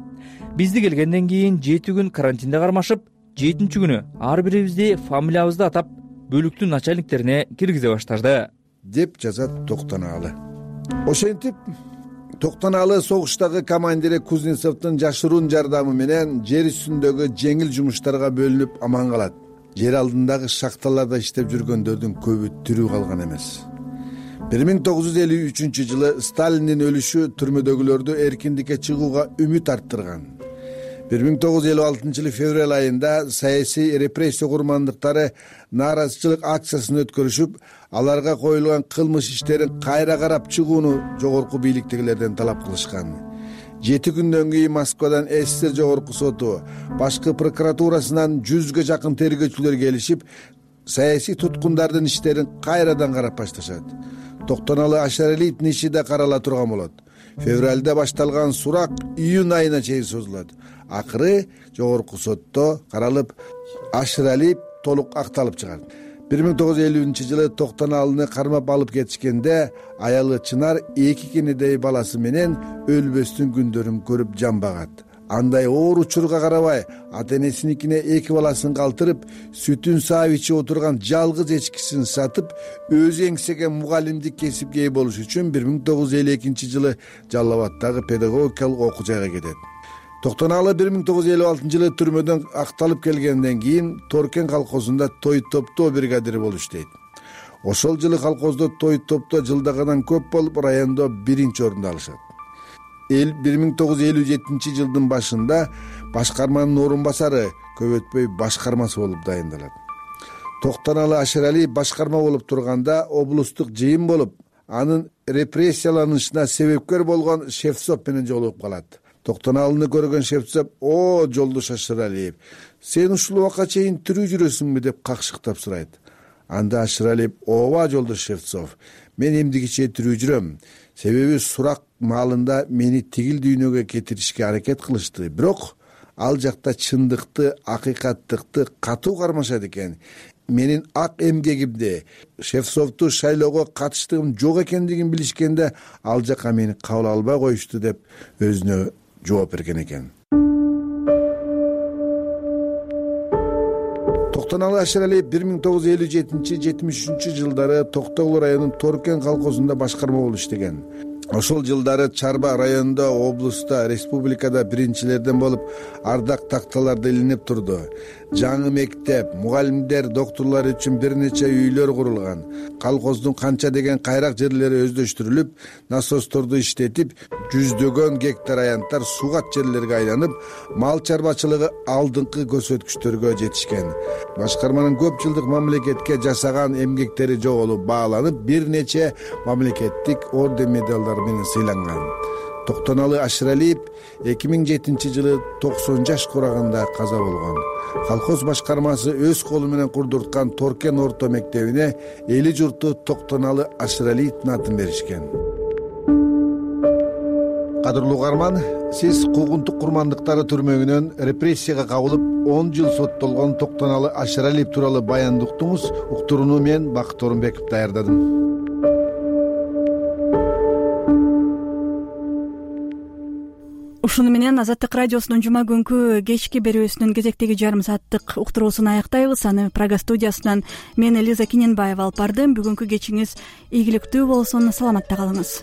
Бизди келгенден кийин жети күн карантинде кармашып, жетинчи күнү ар бирибизди фамилиябызды атап, бөлүктүн начальниктерине киргизе баштады, деп жазат Токтонаалы. Ошентип Токтонаалы согуштагы командири Кузнецовдун жашыруун жардамы менен жер үстүндөгү жеңил жумуштарга бөлүнүп аман калат. Жер алдындагы шахталарда иштеп жүргөндөрдүн көбү тирүү калган эмес. бир миң тогуз жүз элүү үчүнчү жылы Сталиндин өлүшү түрмөдөгүлөрдү эркиндикке чыгууга үмүт арттырган. бир миң тогуз жүз элүү алтынчы жылы февраль айында саясий репрессия курмандыктары нааразычылык акциясын өткөрүшүп, аларга коюлган кылмыш иштерин кайра карап чыгууну жогорку бийликтегилерден талап кылышкан. Жети күндөн кийин Москвадан СССР жогорку соту, башкы прокуратурасынан жүзгө жакын тергөөчүлөр келишип, саясий туткундардын иштерин кайрадан карап башташат. Токтонаалы Ашыралиевдин иши да карала турган болот. Февралда башталган сурак июнь айына чейин созулат. Акыры жогорку сотто каралып, Ашыралиев толук акталып чыгат. бир миң тогуз жүз элүүнчү жылы Токтонаалыны кармап алып кетишкенде аялы Чынар эки кенедей баласы менен өлбөстүн күндөрүн көрүп жамбагат. Андай оор учурга карабай, ата энесиникине эки баласын калтырып, сүтүн саап ичип отурган жалгыз эчкисин сатып, өзү эңсеген мугалимдик кесипке ээ болуш үчүн бир миң тогуз жүз элүү экинчи жылы Жалал Абадтагы педагогикалык окуу жайга кетет. Токтонаалы бир миң тогуз жүз элүү алтынчы жылы түрмөдөн акталып келгенден кийин Торкен колхозунда той топтоо бригадири болуп иштейт. Ошол жылы колхоздо той топтоо жылдагыдан көп болуп, райондо биринчи орунду алышат. бир миң тогуз жүз элүү жетинчи жылдын башында башкарманын орун басары, көп өтпөй башкармасы болуп дайындалат. Токтонаалы Ашыралиев башкарма болуп турганда облустук жыйын болуп, анын репрессияланышына себепкер болгон Шевцов менен жолугуп калат. Токтонаалыны көргөн Шевцов: "О, жолдош Ашыралиев, сен ушул убакка чейин тирүү жүрөсүңбү?" деп какшыктап сурайт. Анда Ашыралиев: "Ооба, жолдош Шевцов, мен эмдигиче тирүү жүрөм. Себеби сурак маалында мени тигил дүйнөгө кетиришке аракет кылышты. Бирок ал жакта чындыкты, акыйкаттыкты катуу кармашат экен. Менин ак эмгегимди, Шевцовду шайлоого катыштыгым жок экендигин билишкенде, ал жака мени кабыл албай коюшту" деп өзүнө жооп берген экен. Токтонаалы Ашыралиев бир миң тогуз жүз элүү жетинчи жетимиш үчүнчү жылдары Токтогул районунун Торкен колхозунда башкарма болуп иштеген. ошол жылдары Чарба районунда, облуста, республикада биринчилерден болуп ардак такталарды илинип турду. Жаңы мектеп, мугалимдер, доктурлар үчүн бир нече үйлөр курулган. Колхоздун канча деген кайрак жерлери өздөштүрүлүп, насосторду иштетип, жүздөгөн гектар аянттар суугат жерлерге айланып, мал чарбачылыгы алдыңкы көрсөткүчтөргө жетишкен. Башкарманын көп жылдык мамлекетке жасаган эмгектери жоголуп бааланып, бир нече мамлекеттик орден медалдар менен сыйланган. Токтоналы Ашыралиев эки миң жетинчи жылы токсон жаш кураганда каза болгон. Колхоз башкармасы өз колу менен курдурткан Торкен орто мектебине эли журту Токтоналы Ашыралиевдин атын беришкен. Кадырлуу угарман, сиз куугунтук курмандыктары түрмөгүнөн репрессияга кабылып он жыл соттолгон Токтоналы Ашыралиев тууралуу баянды уктуңуз. Уктурууну мен Бакыт Орунбеков даярдадым. Ушуну менен Азаттык радиосунун жума күнкү кечки берүүсүнүн кезектеги жарым сааттык уктуруусун аяктайбыз. Аны Прага студиясынан мен Элиза Киненбаева алып бардым. Бүгүнкү кечиңиз ийгиликтүү болсун, саламатта калыңыз.